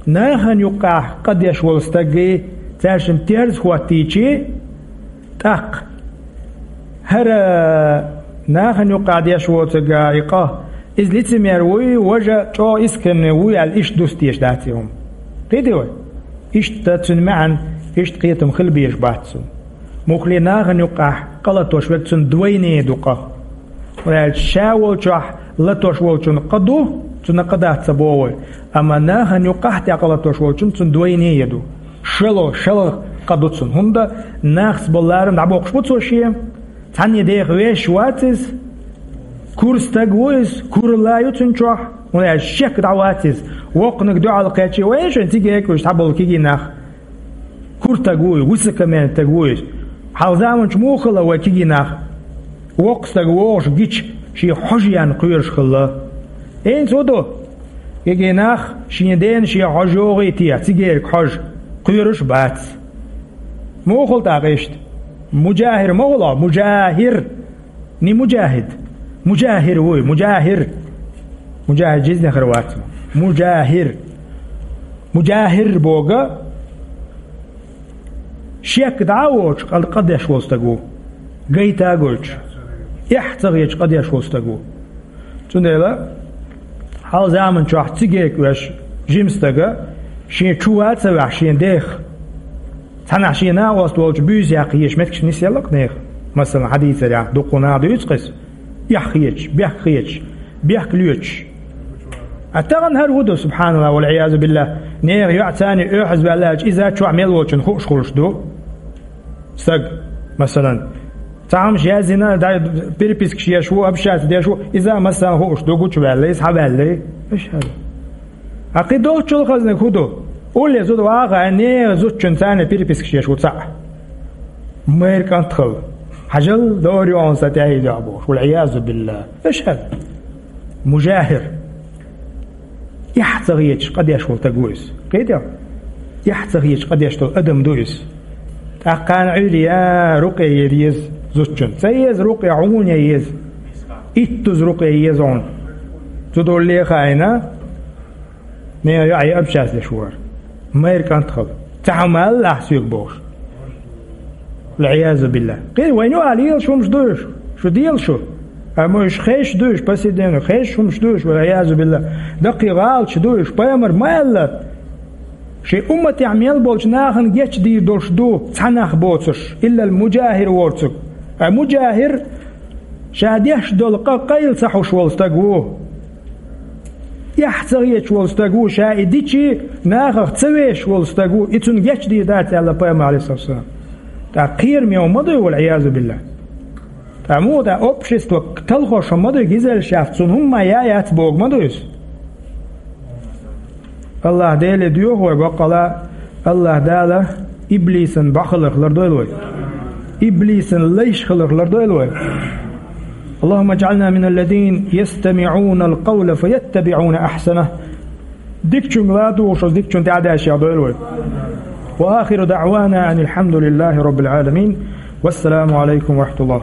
нахана юккъехь къа деш волу стаггий, цаьршимма терза хӀоттийчи, тӀаккха хӀара нахана юккъехь деш воцург и къа, иза лицемер вуй, важа чӀогӀа искренне вуй аьлла, иштта дустеш дац и хӀума. Кхетий вай? Иштта цуьнан маьӀна, иштта кхетам хила безаш бац цунна. Муххале нахана юккъехь къа латош верг, цунна двойне ду къа. ХӀунда аьлча ша волчохь латош волчунна къа ду, цунна къа дац ца боху вай. Амма нахана юккъехь тӀе къа латош волчунна цунна двойне ду. Шало, шалха къа ду цунна. ХӀунда нахаца болу ларам дӀабоккхуш бу цо шен. Цхьанне деха веш вац иза. Кура стаг ву иза, куралла ю цуьнан чохь. ХӀунда аьлча шек дӀа вац иза. Воккханиг дуьхьал кхечи, вай шайн цига экуьш цхьаболу кегий нах. Кура стаг ву иза, высокомерный стаг ву иза. Хьалха заманчу муха хилла вай кегий нах? Воккха стаг вогӀуш гича, шен хьожа яьнна кхоьруш хилла. ХӀинца хӀун ду? Кегий нах шен дена шен хьожа йогӀий те, цигериг хьожа, кхоьруш бац. Муха хилла тӀаккха иштта? Муджахир ма хуьлу, муджахир. Не муджахид. Муджахир вуй, муджахир. Муджахид жизни хир вац. Муджахир. Муджахир боху, шек дӀа а воцуш, къа-, къа деш волу стаг ву. Гайта а гойтуш. Эхь ца хеташ къа деш волу стаг ву. Цундела хьалха заманчохь цига экуьш жима стага, шен чу ван а ца ваьхьаш шен дех, цхьанхьа шен накъост волчу буьйса яккха езаш меттигаш нисъелла-кх нехан. Масала, хьан дийцарехь, дуккха нах дуьйцу-кх иза. Эхь хеташ, бехк хеташ, бехк лоьцуш. А тахана хӀара хӀун ду, субханаллахӀ, валь-Ӏиязу биллахӀ, нехан йоӀ царна оьхьазваьлла аьлча, иза чохь мел волчунна хууш хуьлуш ду? Стаг, масалан, цхьа хӀумаш яздина, дай, перепискаш еш ву, общаться деш ву, иза, масалан, хууш ду, гучуваьлла, иза хьаваьлла. Иш хӀара. А кхин долччул хазаниг хӀун ду? Улле зуда ваха, а нехан зудчун царна перепискаш еш ву цхьаъ. Майра кӀант хила. Хьажал, дора йоӀан са тӀехьа йоӀ бохуш. Вал-Ӏиязу биллахӀ. Эшхьа. Мужахир. Эхь ца хеташ къа деш волу стаг ву иза. Кхетий? Эхь ца хеташ къа деш долу адам ду иза. ТӀаккха кхана Ӏуьйре я рукъе яр еза зудчун. Ца еза рукъе, хьуна еза. Иттуза рукъе еза хьуна. Цу долле хаийна, мега йоӀ я общаться деш вара. Майра кӀант хила. Цхьа хӀума аьлла ахь соьга бохуш. Вал-Ӏиязу биллахӀ. Кхин вайн юкъахь лелаш хӀумаш ду уьш. Шу дела шу. Амма уьш хезаш ду уьш, по сей день хезаш хӀумаш ду уьш, вал-Ӏиязу биллахӀ. Даккхий гӀалаташ ду уьш, пайхамар ма аьлла. Шайн умматехь мел болчу нахана гечдийр долуш ду, цхьа нах боцуш, иллал мужахир воцург. Ткъа мужахир ша деш долу къа къайла ца хьуш волу стаг ву. Эхь ца хеташ волу стаг ву, ша и дичий нахах ца вешаш волу стаг ву, и цунна гечдийр дац аьлла пайхамар, Ӏалайхиссалату вассалам. ТӀаккха кхераме хӀума ма дуй, вал-Ӏиязу биллахӀ. ТӀаккха муха, тӀаккха общество талхош хӀума ма дуй, гизеллаш яц, цунна хӀумма а я яц боху ма дуй иза. АллахӀ Деле доьху вай баккъала, АллахӀ Дала иблисан бӀо хиларх лардойла вай. Иблисан лайш хиларх лардойла вай. اللهم اجعلنا من الذين يستمعون القول فيتبعون أحسنه. Дикачуьнга ладугӀуш, оцу дикачунна тӀаьхьадаьшшехь дойла вай. وآخر دعوانا أن الحمد لله رب العالمين. والسلام عليكم ورحمة الله.